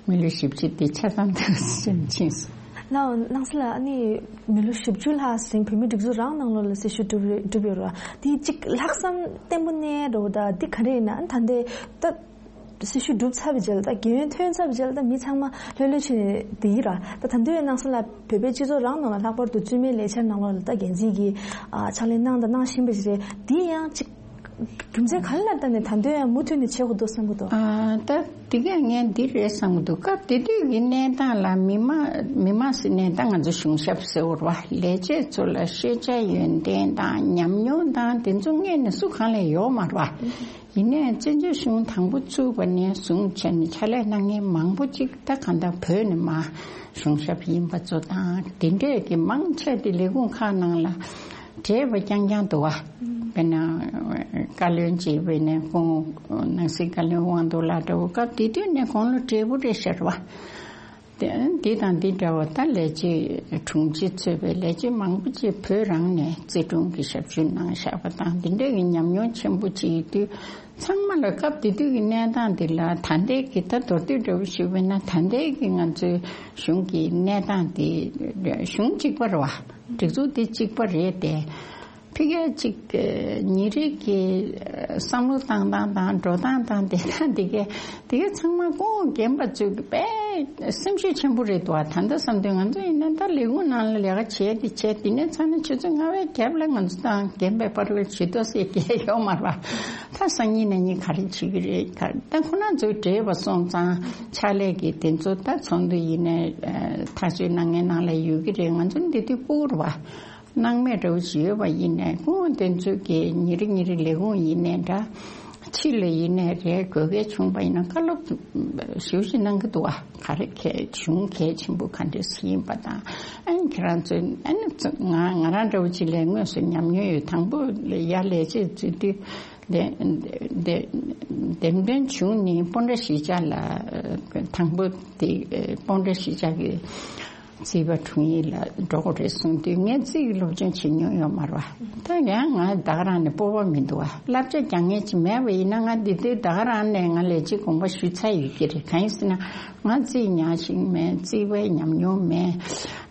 མི་ལོ་བཞི་བཅུ་དེ་ཆ་ཚང་འདུག་སེ་ཕྱིན་སོང་། ལགས་སྣང་ས་ལགས། ཨ་ནི་མི་ལོ་བཞི་བཅུ་ལྷག་ཟིན་བོད་མིའི་སྒྲིག་འཛུགས་རང་ནང་ལོགས་ལ་སྲི་ཞུ་བསྒྲུབས་རེད་བསྒྲུབས་ཡོད་རེད་བ། དེ་གཅིག་ལྷག་བསམ་བརྟན་པོ་གནས་འགྲོ་བ་ད་འདི་ག་རེ་ཡིན་ན། ཨ་ནི་ད་ལྟའི་ད་སྲི་ཞུ་གྲུབ་ཚར་བའི་རྗེས་ལ་ད་རྒན་ཡོལ་ཐོན་ཚར་བའི་རྗེས་ལ་ད་མི་ཚང་མ་ལྷོད་ལྷོད་བྱས་ནས་བསྡད་ཀྱི་རེད། ད་ད་དུང་ཡང་སྣང་ས་ལགས་བོད་པའི་སྤྱི་ཚོགས་རང་ནང་ལ་ལྷག་པར་དུ་བཙུན་མའི་ལས་འཆར་ནང་ལོགས་ལ་ད་འགན་འཛིན་གྱིས་ཨ་ཕྱག་ལས་གནང་དང་གནང་བཞིན་པ་ཞིག་རེད། འདི་ཡང་གཅིག་རྒྱུ་མཚན་ག་རེ་ལ་བརྟེན་ནས་ད་དུང་ཡང་མུ་མཐུད་ནས་བྱེད་དགོས་འདུག་བསམ་གྱི་འདུག་ཨ་ད་དེ་གས་ངས་འདི་རེད་བསམ་གྱི་འདུག་སྐབས་དེ་དུས་ཀྱི་གནས་སྟངས་ལ་མི་མང་མི་མང་ཟེར་ནས་ད་ང་ཚོ་གཞུང་ཞབས་ཟེར་བ་རེད་བ། ལས་བྱེད་ཚོ་ལ་ཤེས་བྱ་ཡོན་ཏན་དང་ཉམས་མྱོང་དང་དེ་ཚོ་སྔོན་ནས་སུ་གང་ལ་ཡོད་མ་རེད་བ། ཡིན་ནའི་བཙན་བྱོལ་གཞུང་དང་པོ་བཙུགས་པ་ནས་བཟུང་བྱས་ནས་ཕྱག་ལས་གནང་མཁན་མང་པོ་ཅིག་ད་གང་ལྟར་བོད་ནས་མར་གཞུང་ཞབས་ཡིན་པ་ཚོ་དང་དེ་འདྲས་ཀྱི་མང་ཆེ་དེ་ལས་ཁུངས་ཁག་ནང་ལ་བགྲེས་པ་རྐྱང་རྐྱང་འདུག་བ། དཔེར་ན་བཀའ་བློན་གཅིག་དཔེར་ན་ཁོང་ནང་སྲིད་བཀའ་བློན་དབང་འདུས་ལགས་འདྲ་བོ་སྐབས་དེ་དུས་ནས་དགུང་ལོ་བགྲེས་པོ་རེད་ཤག་བ། དེ་འདི་དང་འདི་འདྲ་བ་ད་ལས་བྱེད་དྲུང་ཆེ་གཙོས་པའི་ལས་བྱེད་མང་པོ་ཅིག་བོད་རང་ནས་རྩིས་དྲུང་གི་ཞབས་ཞུ་གནང་བཞག་པ་དང་འདི་འདྲ་གི་ཉམས་མྱོང་ཆེན་པོ་ཅིག་ཡོད་དུས་ཚང་མ་ལ་སྐབས་དེ་དུས་ཀྱི་གནས་སྟངས་འདི་ལ་ད་ལྟའི་གི་ད་མདོར་བསྡུས་འདྲ་བོ་ཞུས་པ་ཡིན་ན་ད་ལྟའི་གི་ང་ཚོའི་གཞུང་གི་གནས་སྟངས་འདི་གཞུང་གཅིག་པ་རེད་བ། སྒྲིག་འཛུགས་འདི་གཅིག་པ་རེད་དེ། ཕ་གིར་ཅིག་ཉིན་རེ་གི་བསམ་བློ་བཏང་སྟངས་དང་འགྲོ་སྟངས་དང་བསྡད་སྟངས་དེ་གས་དེ་གས་ཚང་མ་སྐུ་ངོ་རྒན་པ་ཚོས་དཔེ་སེམས་ཤུགས་ཆེན་པོ་རེད་འདུག་བ། ད་ལྟ་བསམ་དུས་ང་ཚོ་ཡིན་ན་ད་ལས་ཁུངས་ནང་ལ་ལས་ཀ་བྱས་དེ་བྱས་དེ་ནས་ཚར་ནས་ཆུ་ཚོད་ལྔ་པའི་རྒྱབ་ལ་ང་ཚོ་དང་རྒན་པའི་བར་ལ་ཇུས་གཏོགས་ཟེར་མཁན་ཡོད་མ་རེད་བ། ད་སང་ཉིན་གནངས་ཉིན་ག་རེ་བྱེད་ཀྱི་རེད། ག་ད་ཁོ་རང་ཚོའི་བགྲེས་པ་སོང་ཙང་ཕྱག་ལས་ཀྱི་དེ་ཚོ་ད་ཚོགས་འདུ་ཡིན་ནའི་ཐག་གཅོད་གནང་མཁན་ནང་ལ་ཡོད་ཀྱི་རེད། ང་ཚོ་འདི་དུས་ཕྲུ་གུ་རེད་བ། སྣང་མེད་འདྲ་བོ་ཞིག་ཡོད་པ་ཡིན་ནའི་སྐུ་ངོ་དེ་ཚོས་ཀྱི་ཉིན་རེ་ཉིན་རེ་ལས་ཁུངས་ཡིན་ནའི་འདྲ། ཕྱི་ལ་ཡིན་ནའི་རེད། དགོས་གལ་བྱུང་པ་ཡིན་ན་བཀའ་སློབ་ཞེ་པོ་ཅིག་གནང་གི་འདུག་བ། ག་རེ་གལ་གཞུང་གལ་ཆེན་པོ་ག་འདྲས་ཡིན་པ་དང་། ཨ་ནི་ཁྱེད་རང་ཚོས་ཨ་ནི་ང་ང་རང་འདྲ་བོ་ཅིག་ལས་དངོས་སུ་ཉམས་མྱོང་ཡོད། དང་པོ་ལ་ཡར་ལས་བྱེད་འཛུལ་དུས་འདེམས་འདེམས་འདེམས་ཐོན་བྱུང་ནས་སྤོན་ཊ་གཞིས་ཆགས་ལ་དང་པོ་དེ་སྤོན་ཊ་གཞིས་ཆགས་ཀྱི་རྩིས་པ་དྲུང་ཡིག་ལ་འགྲོ་དགོས་རེད་གསུངས་དུས་ངས་རྩིས་ཀྱི་སློབ་སྦྱོང་བྱེད་མྱོང་ཡོད་མ་རེད་བ། ད་ཡང་ང་ད་ག་རང་ནས་སྤོབས་པ་མི་འདུག་བ། བསླབ་བྱ་རྒྱག་མཁན་ཅིག་མེད་པ་ཡིན་ན་ང་འདི་དུས་ད་ག་རང་ནས་ང་ལས་བྱེད་གོང་པ་ཞུས་ཚར་ཡོད་ཀྱི་རེད། གང་ཡིན་ཟེར་ན་ང་རྩིས་ཉག་ཤིང་མེད། རྩིས་པའི་ཉམས་མྱོང་མེད།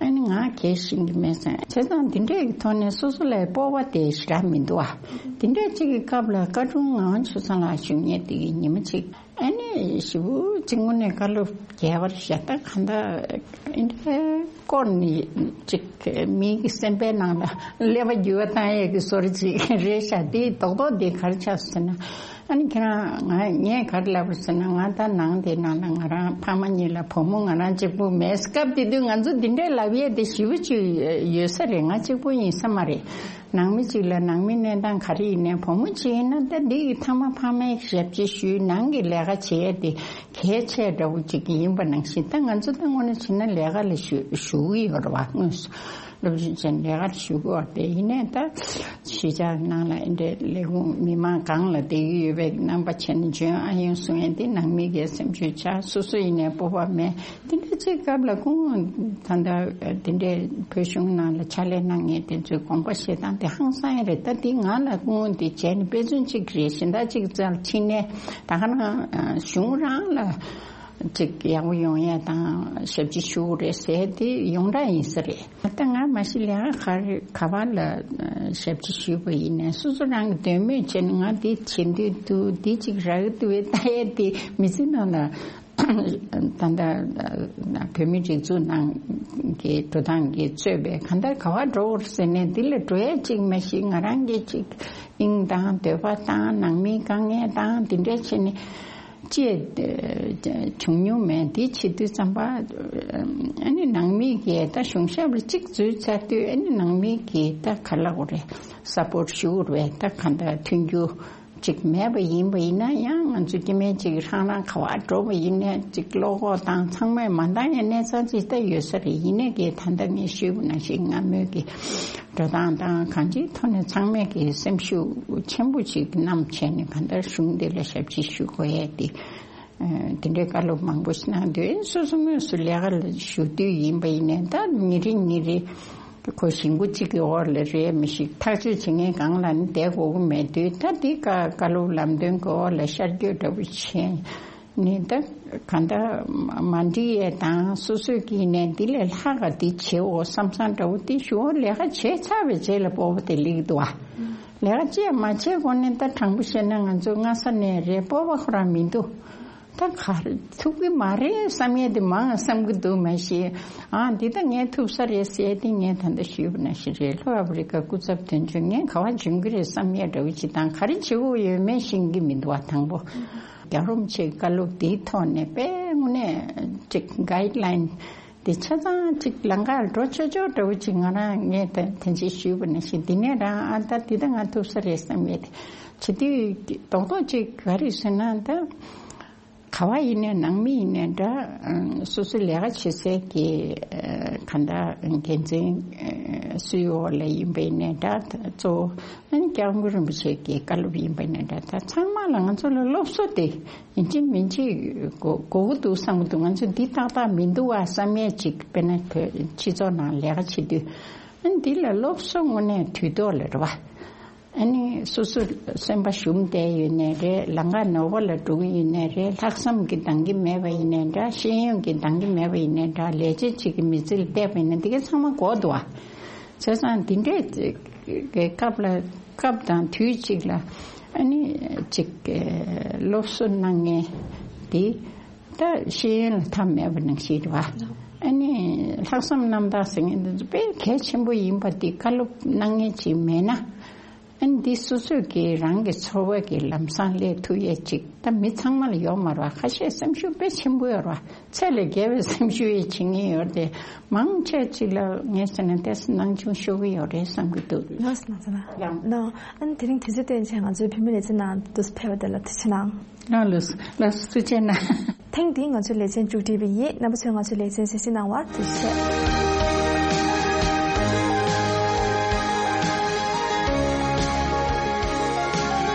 ཨ་ནི་ང་གལ་ཤེས་ཀྱི་མེད་ཟེར། བྱས་ཙང་འདི་འདྲའི་ཐོག་ནས་སོ་སོ་ལ་སྤོབས་པ་དེ་ཞེ་དྲག་མི་འདུག་བ། འདི་འདྲའི་གཅིག་གི་སྐབས་ལ་བཀའ་དྲུང་ངག་དབང་ཆོས་བཟང་ལགས་བཞུགས་མཁན་དེ་གི་ཉི་མ་གཅིག་ཨ་ནི་ཞེ་པོ་ཅིག་དངོས་གནས་བཀའ་སློབ་རྒྱས་པར་བཤད། ད་གང་ལྟར་ཨེ་འདྲའི་སྐོར་ནི་ཅིག་མི་གི་སེམས་པའི་ནང་ལ་ཀླད་པ་འགྱུར་བ་བཏང་ཡས་ཀྱི་བཟོ་འདྲ་ཅིག་རེད་ཤག་དེའི་རྡོག་རྡོག་དེ་ག་རེ་ཆགས་སོང་ཟེར་ན། ཨ་ནི་ཁྱེད་རང་ང་ངས་ག་རེ་ལབ་པ་ཟེར་ན། ང་ད་ནང་དེ་ནང་ལ་ང་རང་ཕ་མ་གཉིས་ལ་བུ་མོ་ང་རང་གཅིག་པུ་མེད། སྐབས་དེ་དུས་ང་ཚོ་འདི་འདྲའི་ལབ་ཡས་དེ་ཞེ་པོ་ཅིག་ཡོད་ས་རེད། ང་གཅིག་པུ་ཡིན་ས་མ་རེད། ནང་མི་གཅིག་ལ་ནང་མི་གནས་སྟངས་ག་རེ་ཡིན་ནའི་བུ་མོ་གཅིག་ཡིན་ན་ད་འདི་གི་ཐ་མ་ཕ་མའི་ཞབས་ཕྱི་ཞུས། ནང་གི་ལས་ཀ་བྱེད་ཡས་དེ་གལ་ཆེ་འདྲ་བོ་ཅིག་ཡིན་པ་ནང་བཞིན། ད་ང་ཚོ་ད་དངོས་གནས་བྱས་ན་ལས་ཀ་ལ་ཞུ་ཞུ་གི་ཡོད་རེད་བ། དངོས་སུ་ སློབ་སྦྱོང་བྱས་ནས་ལས་ཀར་ཞུགས་དགོས་པ་རེད། ཡིན་ནའི་ད་གཞིས་ཆགས་ནང་ལ་འདི་འདྲའི་ལས་ཁུངས་མི་མང་སྒང་ལ་བསྡད་ཀྱི་ཡོད་པའི་རྣམ་པ་བྱས་ནས་འཇོན་ཨ་ཡོང་གསུང་ཡས་འདི་ནང་མི་གི་སེམས་ཤུགས་ཆག་སོ་སོ་ཡིན་ནའི་སྤོབས་པ་མེད། འདི་འདྲ་ཅིག་སྐབས་ལ་སྐུ་ངོ་ད་ལྟ་འདི་འདྲའི་བོད་གཞུང་ནང་ལ་ཕྱག་ལས་གནང་མཁན་དེ་ཚོའི་དགོངས་པ་བཞེས་སྟངས་དེ་ཧང་སང་ཡ་རེད། ད་འདི་ང་ལ་སྐུ་ངོ་འདི་བྱས་ནས་དཔེ་མཚོན་ཅིག་རེད། གཞན་དག་ཅིག་རྩར་ཕྱིན་ནས་ད་ག་རང་གཞུང་རང་ལ་ཅིག་ཡག་པོ་ཡོང་ཡ་དང་ཞབས་ཕྱི་ཞུ་དགོས་རེད་ཟེར་དེ་ཡོངས་གྲགས་ཡིན་ས་རེད། ད་ང་མ་གཞི་ལས་ཀ་ག་རེ་ག་བ་ལ་ཞབས་ཕྱི་ཞུས་པ་ཡིན་ནའི་སོ་སོ་རང་གི་འདོད་མོས་བྱས་ནས་ང་འདི་བྱེད་འདོད་འདུག་འདི་ཅིག་རག་གི་འདུག་བས་ལྟ་ཡས་དེ་མི་ཚེ་ནང་ལ་ད་ལྟ་བོད་མི་སྒྲིག་འཛུགས་ནང་གི་འགྲོ་སྟངས་ཀྱིས་གཙོས་པའི་གང་ལྟར་ག་བ་འགྲོ་དགོས་ཟེར་ནས་འདི་ལ་འགྲོ་ཡས་ཅིག་མ་གཞི་ང་རང་གི་ཅིག་དབྱིངས་དང་འདོད་པ་དང་ནང་མིའི་དཀའ་ངལ་དང་འདི་འདྲ་བྱས་ནས། ཅེས་བྱུང་མྱོང་མེད། དེ་བྱེད་དུས་ཙམ་པ་ཨ་ནི་ནང་མི་གིས་ད་གཞུང་ཞབས་ལ་གཅིག་འཛུལ་ཚར་དུས་ཨ་ནི་ནང་མི་གིས་ད་ག་ལ་གོ་རེད་སཔོར་ཊི་ཞུ་རེད། ད་ག་འདྲ་མཐུན་འགྱུར་ཅིག་མེད་པ་ཡིན་པ་ཡིན་ན་ཡང་ང་ཚོ་སྐྱེ་དམན་ཅིག་རང་རང་ག་བ་འགྲོ་བ་ཡིན་ནའི་ཅིག་བློ་ཁོག་དང་ཚང་མས་མ་འདང་ཡ་གནས་ཚང་ཅིག་ད་ཡོད་ས་རེད། ཡིན་ནའི་གི་ད་ལྟ་ངས་ཞུས་པ་ནང་བཞིན་སྔ་མོའི་གི་འགྲོ་སྟངས་དང་གང་ཅིའི་ཐོག་ནས་ཚང་མས་ཀྱི་སེམས་ཤུགས་ཆེན་པོ་ཞིག་བསྣམས་བྱས་ནས་གང་ལྟར་གཞུང་འདི་ལ་ཞབས་ཕྱི་ཞུ་དགོས་ཡས་དེ། ཨ་དེ་འདྲའི་བཀའ་སློབ་མང་པོ་ཞིག་གནང་དུས་སོ་སོ་དངོས་སུ་ལས་ཀ་ལ་ཞུགས་དུས་ཡིན་པ་ཡིན་ནའི་ད་ཉིན་རེ་ཉིན་རེ་ཁོ་ཞིང་ཁུ་གཅིག་གི་འོག་ལ་རེད་མི་ཞིག་ཐག་གཅོད་བྱེད་མཁན་སྒང་ལ་ནི་བསྡད་དགོས་ཀྱི་མེད་དུས་ད་འདི་བཀའ་བཀའ་སློབ་ལམ་སྟོན་གྱི་འོག་ལ་ཤར་བསྐྱོད་འདྲ་པོ་བྱས། ནི་ད་གང་ལྟར་མ་འགྲིག་ཡས་དང་སོ་སོས་ཀྱིས་ནས་འདི་ལས་ལྷག་ག་འདི་བྱེད་འོ་བསམ་བསམ་འདྲ་བོ་དེ་ཞུ་བ་ལས་ཀ་བྱས་ཚར་བའི་རྗེས་ལ་སྤོབས་པ་དེ་སླེབས་འདུག་བ། ལས་ཀ་བྱས་མ་བྱས་གོང་ནས་ད་དྲང་པོ་བཤད་ན་ང་ཚོ་སྔ་ས་ནས་རེད་སྤོབས་པ་ཁོ་རང་མི་འདུག་ད་ག་རེ་ཐུབ་ཀྱི་མ་རེད་བསམ་ཡས་དེ་མང་བསམ་གྱི་འདུག་མ་གཞི་ཨ་འདི་ད་ངས་ཐུབ་ས་རེད་ཟེར་དེ་ངས་ད་ལྟ་ཞུས་པ་ནང་བཞིན་རེད། ལྷོ་ཨ་ཕི་རི་ཀ་སྐུ་ཚབ་དོན་གཅོད་ངས་ག་བ་འཇོན་གྱི་རེད་བསམ་ཡས་འདྲ་བོ་ཅིག་དང་ག་རེ་བྱེད་དགོས་ཡོད་མེད་ཤེས་ཀྱི་མི་འདུག་བ། དང་པོ། རྒྱལ་རོམ་ཆེ་བཀའ་སློབ་དེའི་ཐོག་ནས་དཔེ་དངོས་གནས་ཅིག་གའིཌ་ལའིན་དེ་ཆ་ཚང་ཅིག་ལམ་ཁར་འགྲོ་ཆོག་ཆོག་འདྲ་བོ་ཅིག་ང་རང་ངས་ད་དེ་འདྲ་ཞུས་པ་ནང་བཞིན་འདི་ནས་རང་ཨ་ད་འདི་ད་ང་ཐུབ་ས་རེད་བསམ་ཡས་དེ་བྱེད་དུས་རྡོག་རྡོག་ཅིག་ག་རེ་ཟེར་ན་ད་ག་བ་ཡིན་ནའི་ནང་མི་ཡིན་ནའི་འདྲ་སོ་སོའི་ལས་ཀ་བྱེད་སའི་གི་ག་འདྲ་འགན་འཛིན་སུའི་འོག་ལ་ཡིན་པ་ཡིན་ནའི་འདྲ་གཙོ་བོ་ཨ་ནི་སྐྱབས་མགོན་རིན་པོ་ཆེ་གི་བཀའ་སློབ་ཡིན་པ་ཡིན་ནའི་འདྲ་ད་ཚང་མ་ལ་ང་ཚོ་ལ་སློབ་གསོ་དེ། ཡིན་གཅིག་མིན་གཅིག་གོ་གོ་གི་འདུག་བསམ་གི་འདུག་ང་ཚོ་འདི་ཏག་ཏག་མི་འདུག་བ་བསམ་ཡས་ཅིག་དཔེར་ན་བོད་སྤྱི་ཚོགས་ནང་ལས་ཀ་བྱེད་དུས་ཨ་ནི་འདི་ལ་སློབ་གསོ་དངོས་གནས་དུས་ཐོག་ལ་རེད་བ། ཨ་ནི་སོ་སོ་སེམས་པ་ཞུམ་བསྡད་ཡོད་ནའི་རེད། ལམ་ཁ་ནོར་བ་ལ་འགྲོ་གི་ཡོད་ནའི་རེད། ལྷག་བསམ་གྱི་འདང་གི་མེད་པ་ཡིན་ནའི་འདྲ། ཤེས་ཡོན་གྱི་འདང་གི་མེད་པ་ཡིན་ནའི་འདྲ། ལས་བྱེད་ཅིག་གི་མི་ཚེ་ལ་བལྟས་པ་ཡིན་ན་འདི་ག་ཚང་མ་གོ་འདུག་བ། བྱས་ཙང་འདི་འདྲའི་སྐབས་ལ་སྐབས་དང་དུས་གཅིག་ལ་ཨ་ནི་ཅིག་སློབ་གསོ་གནང་མཁན་དེ་ད་ཤེས་ཡོན་ལ་མཐའ་མེད་པ་ནང་བཞིན་རེད་བ། ཨ་ནི་ལྷག་བསམ་རྣམ་དག་ཟེར་མཁན་དེ་ཚོ་དཔེ་གལ་ཆེན་པོ་ཡིན་པ་དེ་བཀའ་སློབ་གནང་མཁན་ཅིག་མེད་ན་ཨ་ནི་འདི་སོ་སོས་ཀྱི་རང་གི་འཚོ་བ་གི་ལམ་སང་སླེབས་ཐུབ་ཡས་ཅིག་ད་མི་ཚང་མ་ལ་ཡོད་མ་རེད་བ། ཁ་ཤས་སེམས་ཤུགས་དཔེ་ཆེན་པོ་ཡོད་རེད་བ། ཚད་ལས་བརྒལ་བའི་སེམས་ཤུགས་ཡོད་བྱེད་ངེས་ཡོད་དེ། མང་ཆེ་ཅིག་ལ་ངས་བྱས་ན་ཏོག་ཙམ་སྣང་ཆུང་ཤོར་གྱི་ཡོད་རེད་བསམ་གྱི་འདུག་ལགས་སོ། ལགས་སོ། ལགས། ནོ། ཨ་ནི་དེ་རིང་དུས་ཚོད་བཏོན་བྱས་ང་ཚོའི་བོད་མི་ལེ་ཚན་ནང་དུ་ཕེབས་པ་དེ་ལ་ཐུགས་རྗེ་གནང་། ལགས་ལགས་ལགས་སོ། ཐུགས་རྗེ་གནང་། ཐེངས་འདིའི་ང་ཚོའི་ལེ་ཚན་མཇུག་སྒྲིལ་བ་ཡིན། རྣམ་པ་ཚོས་ང་ཚོའི་ལེ་ཚན་གསན་གཟིགས་གནང་བར་ཐུགས་རྗེ་ཆེ།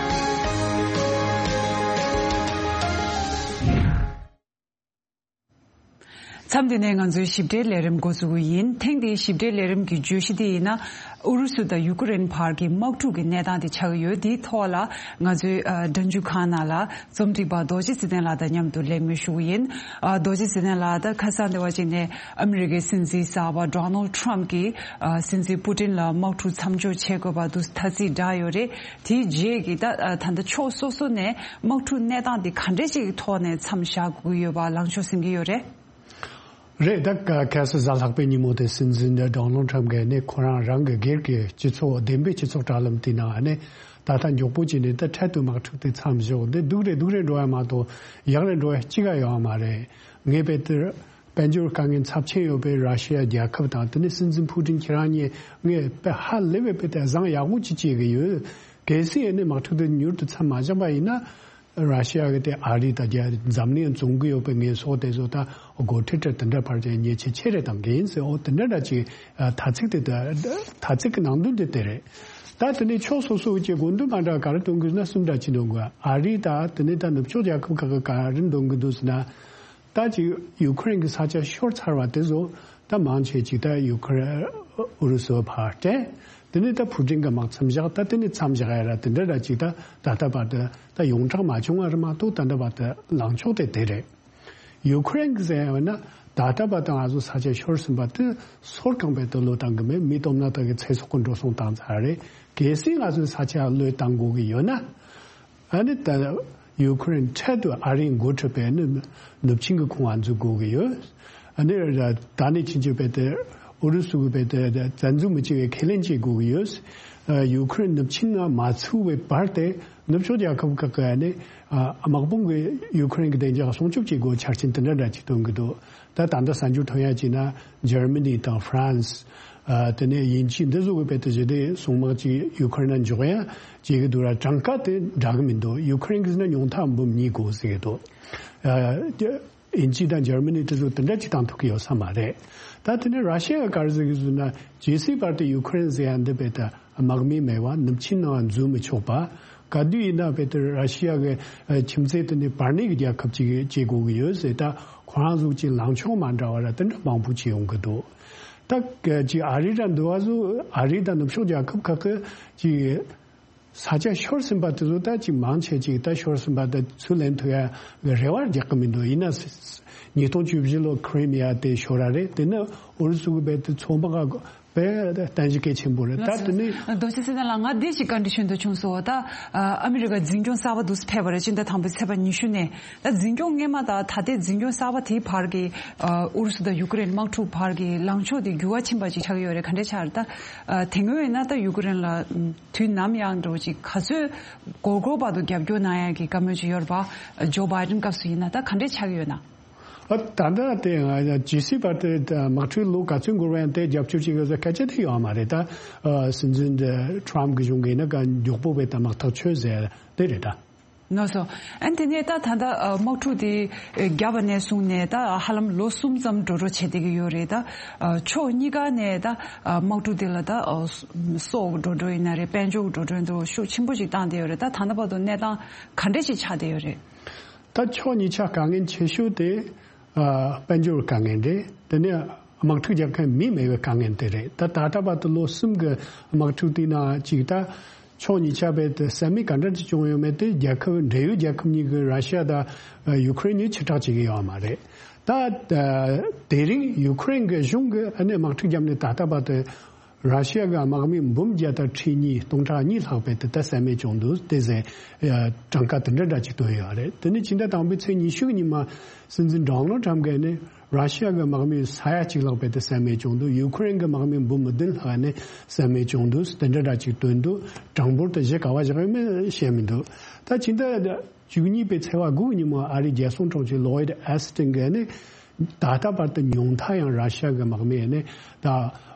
མཚམས་འདི་ནས་ང་ཚོའི་ཞིབ་ཕྲའི་ལས་རིམ་འགོ་འཛུགས་ཀྱི་ཡིན། ཐེངས་འདིའི་ཞིབ་ཕྲའི་ལས་རིམ་གྱི་བརྗོད་གཞི་འདི་ཡིན་ན། ཨུ་རུ་སུ་དང་ཡུ་ཀེ་རེན་བར་གྱི་དམག་འཁྲུག་གི་གནས་སྟངས་དེ་ཆགས་ཀྱི་ཡོད། འདིའི་ཐོག་ལ་ང་ཚོའི་ཨ་འགྲན་བསྡུར་ཁང་ནང་ལ་རྩོམ་སྒྲིག་པ་རྡོ་རྗེ་ཚེ་བརྟན་ལགས་དང་མཉམ་དུ་གླེང་མོལ་ཞུ་གི་ཡིན། ཨ་རྡོ་རྗེ་ཚེ་བརྟན་ལགས། ད་ཁ་སང་དེ་བ་ཅིག་ནས་ཨ་མི་རི་ཀའི་སྲིད་འཛིན་གསར་པ་ཌོ་ནལ་ཊམ་གྱིས་ཨ་སྲིད་འཛིན་པུ་ཏིན་ལ་དམག་འཁྲུག་མཚམས་འཇོག་བྱེད་དགོས་པ་འདུག་ཐ་ཚིག་བསྒྲགས་ཡོད་རེད། དེའི་རྗེས་ཀྱི་ད་ད་ལྟ་ཕྱོགས་སོ་སོ་ནས་དམག་འཁྲུག་གནས་སྟངས་འདི་ག་འདྲས་ཅིག་གི་ཐོག་ནས་མཚམས་བཞག་དགོས་ཀྱི་ཡོད་པ་ལངས་ཕྱོགས་ཟིན་གྱི་ཡོད་རེད། རེད། ད་ག་གལ་སྲིད་གཟའ་ལྷག་པའི་ཉིན་མོ་དེ་སྲིད་འཛིན་ཌོ་ནལ་ཊམ་གྱིས་ནི་ཁོ་རང་རང་གི་སྒེར་གྱི་སྤྱི་ཚོགས་བདེན་པའི་སྤྱི་ཚོགས་དྲ་ལམ་དེའི་ནང་ནས་ད་ལྟ་མགྱོགས་པོ་བྱས་ནས་ད་འཕྲལ་དུ་དམག་འཁྲུག་དེ་མཚམས་བཞག་འདི་སྡུག་རེ་སྡུག་རེ་འགྲོ་ཡ་མ་གཏོགས་ཡག་རེ་འགྲོ་ཡ་གཅིག་ཀ་ཡོད་མ་རེད། ངས་དཔེ་དེར། དཔལ་འབྱོར་དཀའ་ངལ་ཚབས་ཆེན་ཡོད་པའི་ར་ཤི་ཡ་རྒྱལ་ཁབ་དང་དེ་ནས་སྲིད་འཛིན་ཕུ་ཏིན་ཁྱེད་རང་གཉིས་ངས་དཔེ་ཧ་ལས་པའི་དཔེ་དེ་བཟང་ཡག་པོ་ཅིག་བྱེད་ཀྱི་ཡོད། གལ་སྲིད་ཨ་ནི་དམག་འཁྲུག་དེ་མྱུར་དུ་མཚམས་མ་བཞག་པ་ཡིན་ན་ ར་ཤི་ཡ་གི་དེ་ཨ་རི་དང་རྒྱ་འཛམ་གླིང་བཙོང་གི་ཡོད་པའི་ངན་སོང་དེ་ཚོ་ད་སྒོ་ཁྲལ་དེ་འདྲ་ཕར་ཅན་ཉེས་ཆད་ཆེ་རེ་བཏང་གི་ཡིན་ཟེར། འོ་དེ་འདྲ་འདྲ་ཅིག་ཨ་ཐ་ཚིག་དེ་ད་ཐ་ཚིག་གི་ནང་དོན་དེ་དེ་རེད། ད་དེ་ནས་ཕྱོགས་སོ་སོ་གི་དགོས་འདུན་མ་འདྲ་ག་རེ་འདོན་གི་ན་གསུམ་འདྲ་ཅིག་འདོན་དགོས། ཨ་རི་ད་དེ་ནས་ད་ནུབ་ཕྱོགས་རྒྱལ་ཁབ་ཁག་གི་ག་རེ་འདོན་གི་འདུག་ཟེར་ན། ད་ཅིག་ཡུ་ཁུ་རེན་གྱི་ས་ཆ་ཤོར་ཚར་བ་དེ་ཚོ་ད་མང་ཆེ་ཅིག་ད་ཡུ་ཁུ་རེན་ཨུ་རུ་སུ་ཕར་སྤྲད། དེ་ནས་ད་ཕུ་ཀྲིན་གྱི་དམག་མཚམས་བཞག་ད་དེ་ནས་མཚམས་བཞག་ཡ་ར་དེ་འདྲ་ར་ཅིག་ད་ད་ལྟ་བར་དུ་ད་ཡོངས་གྲགས་མ་བྱུང་བ་རེད་མ་གཏོགས། ད་ལྟ་བར་དུ་ལངས་ཕྱོགས་དེ་དེ་རེད། ཡུ་ཁུ་རེན་གྱི་ཟེར་ཡ་ན་ད་ལྟ་བར་དུ་ང་ཚོ་ས་ཆ་ཤོར་ཟིན་པ་དེ་སོར་གང་བས་དུ་བློས་བཏང་གི་མེད། མི་སྟོབས་ན་ད་གི་ཚེ་སྲོག་གི་འགྲོ་སོང་བཏང་ཚར་རེད། གལ་སྲིད་ང་ཚོའི་ས་ཆ་བློས་བཏང་དགོས་ཀྱི་ཡོད་ན། ཨ་ནི་ད་ཡུ་ཁུ་རེན་འཕྲལ་དུ་ཨ་རིའི་འགོ་ཁྲིད་པས་ནི་ནུབ་ཆིངས་ཀྱི་ཁོངས་ང་འཛུལ་དགོས་ཀྱི་ཡོད། ཨ་ནི་ད་ནི་ཕྱིན་ཆད་བས་ཏེ་ཨུ་རུ་སུ་གི་བས་ཏེ་བཙན་འཛུལ་མི་བྱེད་པའི་ཁས་ལེན་བྱེད་དགོས་ཀྱི་ཡོད། ཨ་ཡུ་ཁུ་རེན་ནུབ་ཆིངས་ནང་མ་ཚུད་པའི་བར་དེ་ནུབ་ཕྱོགས་རྒྱལ་ཁབ་ཁག་གི་ཨ་ནི་ཨ་དམག་དཔུང་གི་ཡུ་ཁུ་རེན་གྱི་བདེ་འཇགས་སྲུང་སྐྱོབ་བྱེད་དགོས་ཆ་རྐྱེན་དེ་འདྲ་འདྲ་ཅིག་བཏོན་གྱི་འདུག་ད་ད་ལྟ་གསར་འགྱུར་ཐོན་ཡ་ཅིག་ན་འཇར་མ་ནི་དང་ཧྥ་རན་སི། ཨ་དེ་ནས་དབྱིན་ཇི་འདི་ཚོ་གི་བས་ཏེ་ཞི་བདེ་སྲུང་དམག་ཅིག་ཡུ་ཁུ་རེན་ན་འཇོག་ཡ་བྱེད་ཀྱི་འདུག་ར། གྲངས་ཀ་དེ་འདྲ་གི་མི་འདུག་ཡུ་ཁུ་རེན་གྱི་ཟེར་ན་ཉུང་མཐའ་འབུམ་གཉིས་དགོས་ཟེར་གྱི་འདུག་ཨ་དབྱིན་ཇི་དང་འཇར་མ་ནི་དེ་ཚོ་དེ་འདྲ་ཅིག་བཏང་ཐུབ་ཀྱི་ཡོད་ས་མ་རེད། ད་དེ་ནས་ར་ཤི་ཡ་ག་རེ་ཟེར་གྱི་འདུག་ན་ཇི་སྲིད་བར་དུ་ཡུ་ཁུ་རེན་ཟེར་ཡ་འདི་བས་ཏེ་དམག་མི་མེད་པ་ནུབ་ཆིངས་ནང་འཛུལ་མི་ཆོག་པ། ག་དུས་ཡིན་ན་བས་ཏེ་ར་ཤི་ཡ་གི་ཨ་ཁྱིམ་མཚེས་དེ་ནས་བར་གནས་ཀྱི་རྒྱལ་ཁབ་ཅིག་བྱེད་དགོས་ཀྱི་ཡོད་ཟེར། ད་ཁོ་རང་ཚོ་ཅིག་ལངས་ཕྱོགས་མ་འདྲ་བ་ར་དེ་འདྲ་མང་པོ་ཅིག་ཡོང་གི་འདུག་ད་ཅིག་ཨ་རི་ར་འདི་བ་ཚོ་ཨ་རི་དང་ནུབ་ཕྱོགས་རྒྱལ་ཁབ་ཁག་གི་ཅིག་ས་ཆ་ཤོར་ཟིན་པ་དེ་ཚོ་ད་ཅིག་མང་ཆེ་ཅིག་ད་ཤོར་ཟིན་པ་ད་ཚུར་ལེན་ཐུབ་ཡ་གི་རེ་བ་རྒྱག་གི་མི་འདུག་ཡིན་ན་ཉིས་སྟོང་བཅུ་བཞི་ལོ་ཁི་རི་མི་ཡ་དེ་ཤོར་ར་རེད། དེ་ནི་ཨུ་རུ་སུ་གི་བས་དེ་ཚོང་པ་ག་བས་བརྟན་གཞི་གལ་ཆེན་པོ་རེད། ད་དེ་ནི། རྡོ་རྗེ་སེ་བ་ལགས། ང་འདི་ཞིག་བཀའ་འདྲི་ཞུ་འདོད་བྱུང་སོང་། ད་ཨ་མི་རི་ཀ་འཛིན་སྐྱོང་གསར་པ་འདུག་སེ་ཕེབས་པ་རེད། སྤྱི་ཟླ་དང་པོའི་ཚེས་པ་ཉི་ཤུ་ནས། ད་འཛིན་སྐྱོང་སྔས་མ་དང་ད་ལྟའི་འཛིན་སྐྱོང་གསར་པ་དེའི་བར་གྱི་ཨ་ཨུ་རུ་སུ་དང་ཡུ་ཀེ་རེན་དམག་འཁྲུག་བར་གྱི་ལངས་ཕྱོགས་དེ་འགྱུར་བ་ཕྱིན་པ་ཅིག་ཆགས་ཀྱི་ཡོད་རེད། ག་འདྲས་ཆགས་རེད། ད་ཨ་དེ་སྔོན་ཡིན་ན་ད་ཡུ་ཀེ་རེན་ལ་དུས་ནམ་ཡང་འདྲ་བོ་ཅིག་ག་ཚོད་འགོར་འགོར་བར་དུ་རྒྱབ་སྐྱོར་གནང་ཡ་གི་བཀའ་མོལ་ཅིག་ཡོད་རེད་པ། ཇོ་བྷའི་ཌེན་སྐབས་སུ་ཡིན་ན་ད་ག་འདྲས་ཆགས་ཀྱི་ཡོད་ན། ཨ་ད་ལྟ་དེ་ང་ཇི་སྲིད་བར་དུ་དམག་འཁྲུག་ལོ་ག་ཚོད་འགོར་བ་ཡང་དེ་རྒྱབ་སྐྱོར་བྱེད་དགོས་ཟེར་སྐད་ཆ་དེ་ཡོད་མ་རེད། ད་ཨ་སྲིད་འཛིན་ཊ་རམ་གྱི་གཞུང་གིས་ན་ག་མགྱོགས་པོ་བས་ད་དམག་ཐག་ཆོད་ཟེར་དེ་རེད་ད། ལགས་སོ། ཨ་ནི་དེ་ནས་ད་ད་ལྟ་ཨ་དམག་འཁྲུག་དེ་ཨ་བརྒྱབ་པ་ནས་བཟུང་ནས་ད་ཧ་ལམ་ལོ་གསུམ་ཙམ་འགྲོ་འགྲོ་བྱས་བསྡད་ཀྱི་ཡོད་རེད། ད་ཨ་ཕྱོགས་གཉིས་ཀ་ནས་ད་ཨ་དམག་འཁྲུག་དེ་ལ་ད་ཨ་སྲོག་གི་འགྲོ་གྲོན་ཡིན་ན་རེད། དཔལ་འབྱོར་གྱི་འགྲོ་གྲོན་དུ་ཤུགས་ཆེན་པོ་ཞིག་བཏང་བསྡད་ཡོད་རེད། ད་ད་ལྟ་བར་དུ་གནས་སྟངས་ག་འདྲས་ཞིག་ཆགས་བསྡད་ཡོད་རེད། ད་ཕྱོགས་གཉིས་ཆ་དཀའ་ངལ་ཆེ་ཤོས་དེ་ཨ་དཔལ་འབྱོར་དཀའ་ངལ་རེད། དེ་ནས་དམག་འཁྲུག་རྒྱག་མཁན་མི་མེད་པའི་དཀའ་ངལ་དེ་རེད། ད་ད་ལྟ་བར་དུ་ལོ་གསུམ་གྱི་དམག་འཁྲུག་དེའི་ནང་གཅིག་ད་ཕྱོགས་གཉིས་ཆ་བས་དེ་ཟ་མིག་ག་འདྲ་ཅིག་བྱུང་ཡོད་མེད་དེ་རྒྱལ་ཁབ་འབྲེལ་ཡོད་རྒྱལ་ཁབ་གཉིས་ཀྱི་ར་ཤི་ཡ་དང་ཡུ་ཁུ་རེན་གཉིས་ཕྱིར་བསྒྲགས་བྱེད་ཀྱི་ཡོད་མ་རེད། ད་དེ་རིང་ཡུ་ཁུ་རེན་གྱི་གཞུང་གིས་ཨ་ནི་དམག་འཁྲུག་བརྒྱབ་ནས་ད་ལྟ་བར་དུ། ར་ཤི་ཡ་གི་དམག་མི་འབུམ་བརྒྱ་དང་ཁྲི་གཉིས་སྟོང་ཕྲག་གཉིས་ལྷག་པའི་དེ་ལྟར་ཟ་མེད་བྱུང་འདུག་དེ་ཟེར་གྲངས་ཀ་དེ་འདྲ་འདྲ་ཅིག་བཏོན་ཡོད་རེད། དེ་ནི་ཕྱི་ཟླ་དང་པོའི་ཚེས་ཉི་ཤུ་གི་ཉིན་མ་སྲིད་འཛིན་ཌོ་ནལ་ཊམ་གྱིས་ནི་ར་ཤི་ཡ་གི་དམག་མི་ས་ཡ་གཅིག་ལྷག་པའི་དེ་ཟ་མེད་བྱུང་འདུག་ཡུ་ཁུ་རེན་གྱི་དམག་མི་འབུམ་བདུན་ལྷག་ནི་ཟ་མེད་བྱུང་འདུག་དེ་འདྲ་འདྲ་ཅིག་བཏོན་འདུག་གྲངས་འབོར་དེ་གཞི་ག་བ་བཞག་ཡོད་མེད་བཤད་མི་འདུག་ད་ཕྱི་ཟླ་བཅུ་གཉིས་པའི་ཚེས་པ་དགུ་གི་ཉིན་མོ་ཨ་རིའི་རྒྱལ་སྲུང་དྲུང་ཆེ་ལོ་ཡིད་ཨེ་སི་ཊིན་གྱིས་ནི། ད་ལྟ་བར་དུ་ཉུང་མཐའ་ཡང་ར་ཤ་གི་དམག་མི་ནི་ད་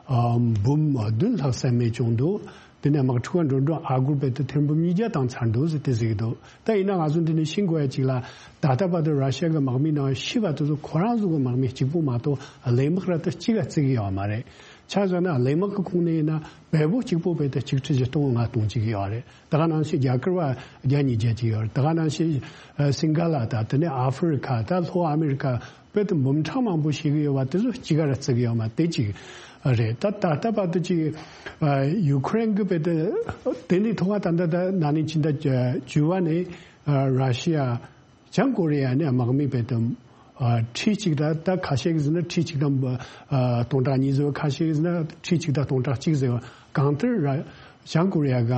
ཨ་འབུམ་བདུན་ལྷག་ཟ་མེད་བྱུང་འདུག་དེ་ནས་དམག་འཁྲུག་འགྲོ་འགྲོ་ཨ་སྒོར་བས་ཏེ་ཐེར་འབུམ་ཉིས་བརྒྱ་བཏང་ཚར་འདུག་ཟེར་ཏེ་ཟེར་གྱི་འདུག་ད་ཡིན་ན་ང་ཚོ་འདི་ནས་ཤེས་དགོས་ཡ་གཅིག་ལ་ད་ལྟ་བར་དུ་ར་ཤ་གི་དམག་མི་ནང་ཤི་བ་དེ་ཚོ་ཁོ་རང་ཚོ་གི་དམག་མི་གཅིག་པོ་མ་གཏོགས་གླས་དམག་ར་ད་གཅིག་ག་བརྩི་གི་ཡོད་མ་རེད། ཆ་བཞག་ན་གླས་དམག་གི་ཁོངས་ནས་ཡིན་ན་བལ་པོ་གཅིག་པོ་བས་ཏེ་གཅིག་ཁྲི་བཞི་སྟོང་ལྔ་སྟོང་གཅིག་ཡོད་རེད། ད་ག་ནང་བཞིན་རྒྱ་གར་བ་བརྒྱ་ཉིས་བརྒྱ་ཅིག་ཡོད་རེད། ད་ག་ནང་བཞིན་ཨ་སིང་ག་ལ་དང་དེ་ནས་ཨ་ཧྥེ་རི་ཁ་དང་ལྷོ་ཨ་མེ་རི་ཁ་བོད་དུ་འབུམ་ཕྲག་མང་པོ་ཞིག་ཡོད་པ་དེ་ཚོ་གཅིག་ག་ར་བརྩི་གི་ཡོད་མ་དེ་གཅིག་རེད། ད་ད་ལྟ་བར་དུ་ཅིག་ཨ་ཡུ་ཁུ་རེན་གྱི་བོད་དུ་དེ་ནས་ཐོག་མ་ད་ལྟ་ད་ན་ནིང་ཕྱི་ཟླ་བཅུ་བ་ནས་ཨ་ར་ཤི་ཡ། བྱང་ཀོ་རི་ཡ་ནས་དམག་མི་བོད་དུ་ཨ་ཁྲི་གཅིག་དང་ད་ཁ་ཤས་ཀྱིས་ཟེར་ན་ཁྲི་གཅིག་དང་ཨ་སྟོང་ཕྲག་གཉིས་ཟེར་བ། ཁ་ཤས་ཀྱིས་ཟེར་ན་ཁྲི་གཅིག་དང་སྟོང་ཕྲག་གཅིག་ཟེར་བ། གང་ལྟར་ར་བྱང་ཀོ་རི་ཡ་ག་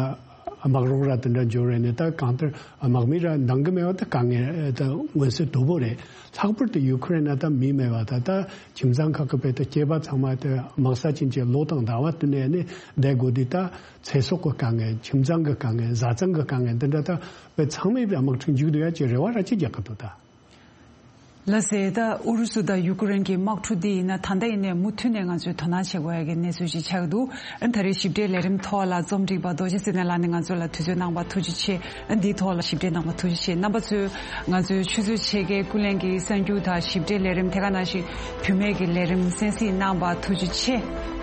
དམག་རོགས་ར་དེ་འདྲ་འབྱོར་རེད་ནས་ད་གང་ལྟར་དམག་མི་ར་འདང་གི་མེད་པ་ད་དཀའ་ངལ་ད་མངོན་གསལ་དོད་པོ་རེད། ལྷག་པར་དུ་ཡུ་ཁུ་རེན་ན་ད་མི་མེད་པ་ད་ད་ཁྱིམ་ཚང་ཁག་གི་བོད་དུ་སྐྱེས་པ་ཚང་མ་དེ་དམག་ས་ཕྱིན་ཆད་ལོ་དང་ཟླ་བ་བསྟུན་ནས་ནི་བསྡད་དགོས་དུས་ད་ཚེ་སྲོག་གི་དཀའ་ངལ། ཁྱིམ་ཚང་གི་དཀའ་ངལ། བཟའ་ཚང་གི་དཀའ་ངལ་འདི་འདྲ་ད་བོད་ཚང་མས་དམག་འཁྲུག་མཇུག་བསྡུ་ཡ་ཅིག་རེ་བ་ར་ཅིག་རྒྱག་གི་འདུག་ད། ལགས་སེ། ད་ཨུ་རུ་སུ་དང་ཡུ་ཀེ་རེན་གྱི་དམག་འཁྲུག་འདི་ཡིན་ན་ད་ལྟ་ཡིན་ནའི་མུ་མཐུད་ནས་ང་ཚོས་དོ་སྣང་བྱེད་དགོས་ཡ་གི་གནས་ཚུལ་ཞིག་ཆགས་ཀྱི་འདུག་ཨ་ད་རེས་ཞིབ་ཕྲའི་ལས་རིམ་ཐོག་ལ་རྩོམ་སྒྲིག་པ་རྡོ་རྗེ་ཚེ་བརྟན་ལགས་ནས་ང་ཚོ་ལ་དུས་ཚོད་གནང་བར་ཐུགས་རྗེ་ཆེ། ཨ་འདིའི་ཐོག་ལ་ཞིབ་ཕྲ་གནང་བར་ཐུགས་རྗེ་ཆེ། རྣམ་པ་ཚོས་ང་ཚོའི་ཆུ་ཚོད་ཕྱེད་ཀའི་ཀུན་གླེང་གི་གསར་འགྱུར་དང་ཞིབ་ཕྲའི་ལས་རིམ་དེ་ག་ནང་བཞིན་བུད་མེད་ཀྱི་ལས་རིམ་གསན་གཟིགས་གནང་བར་ཐུགས་རྗེ་ཆེ།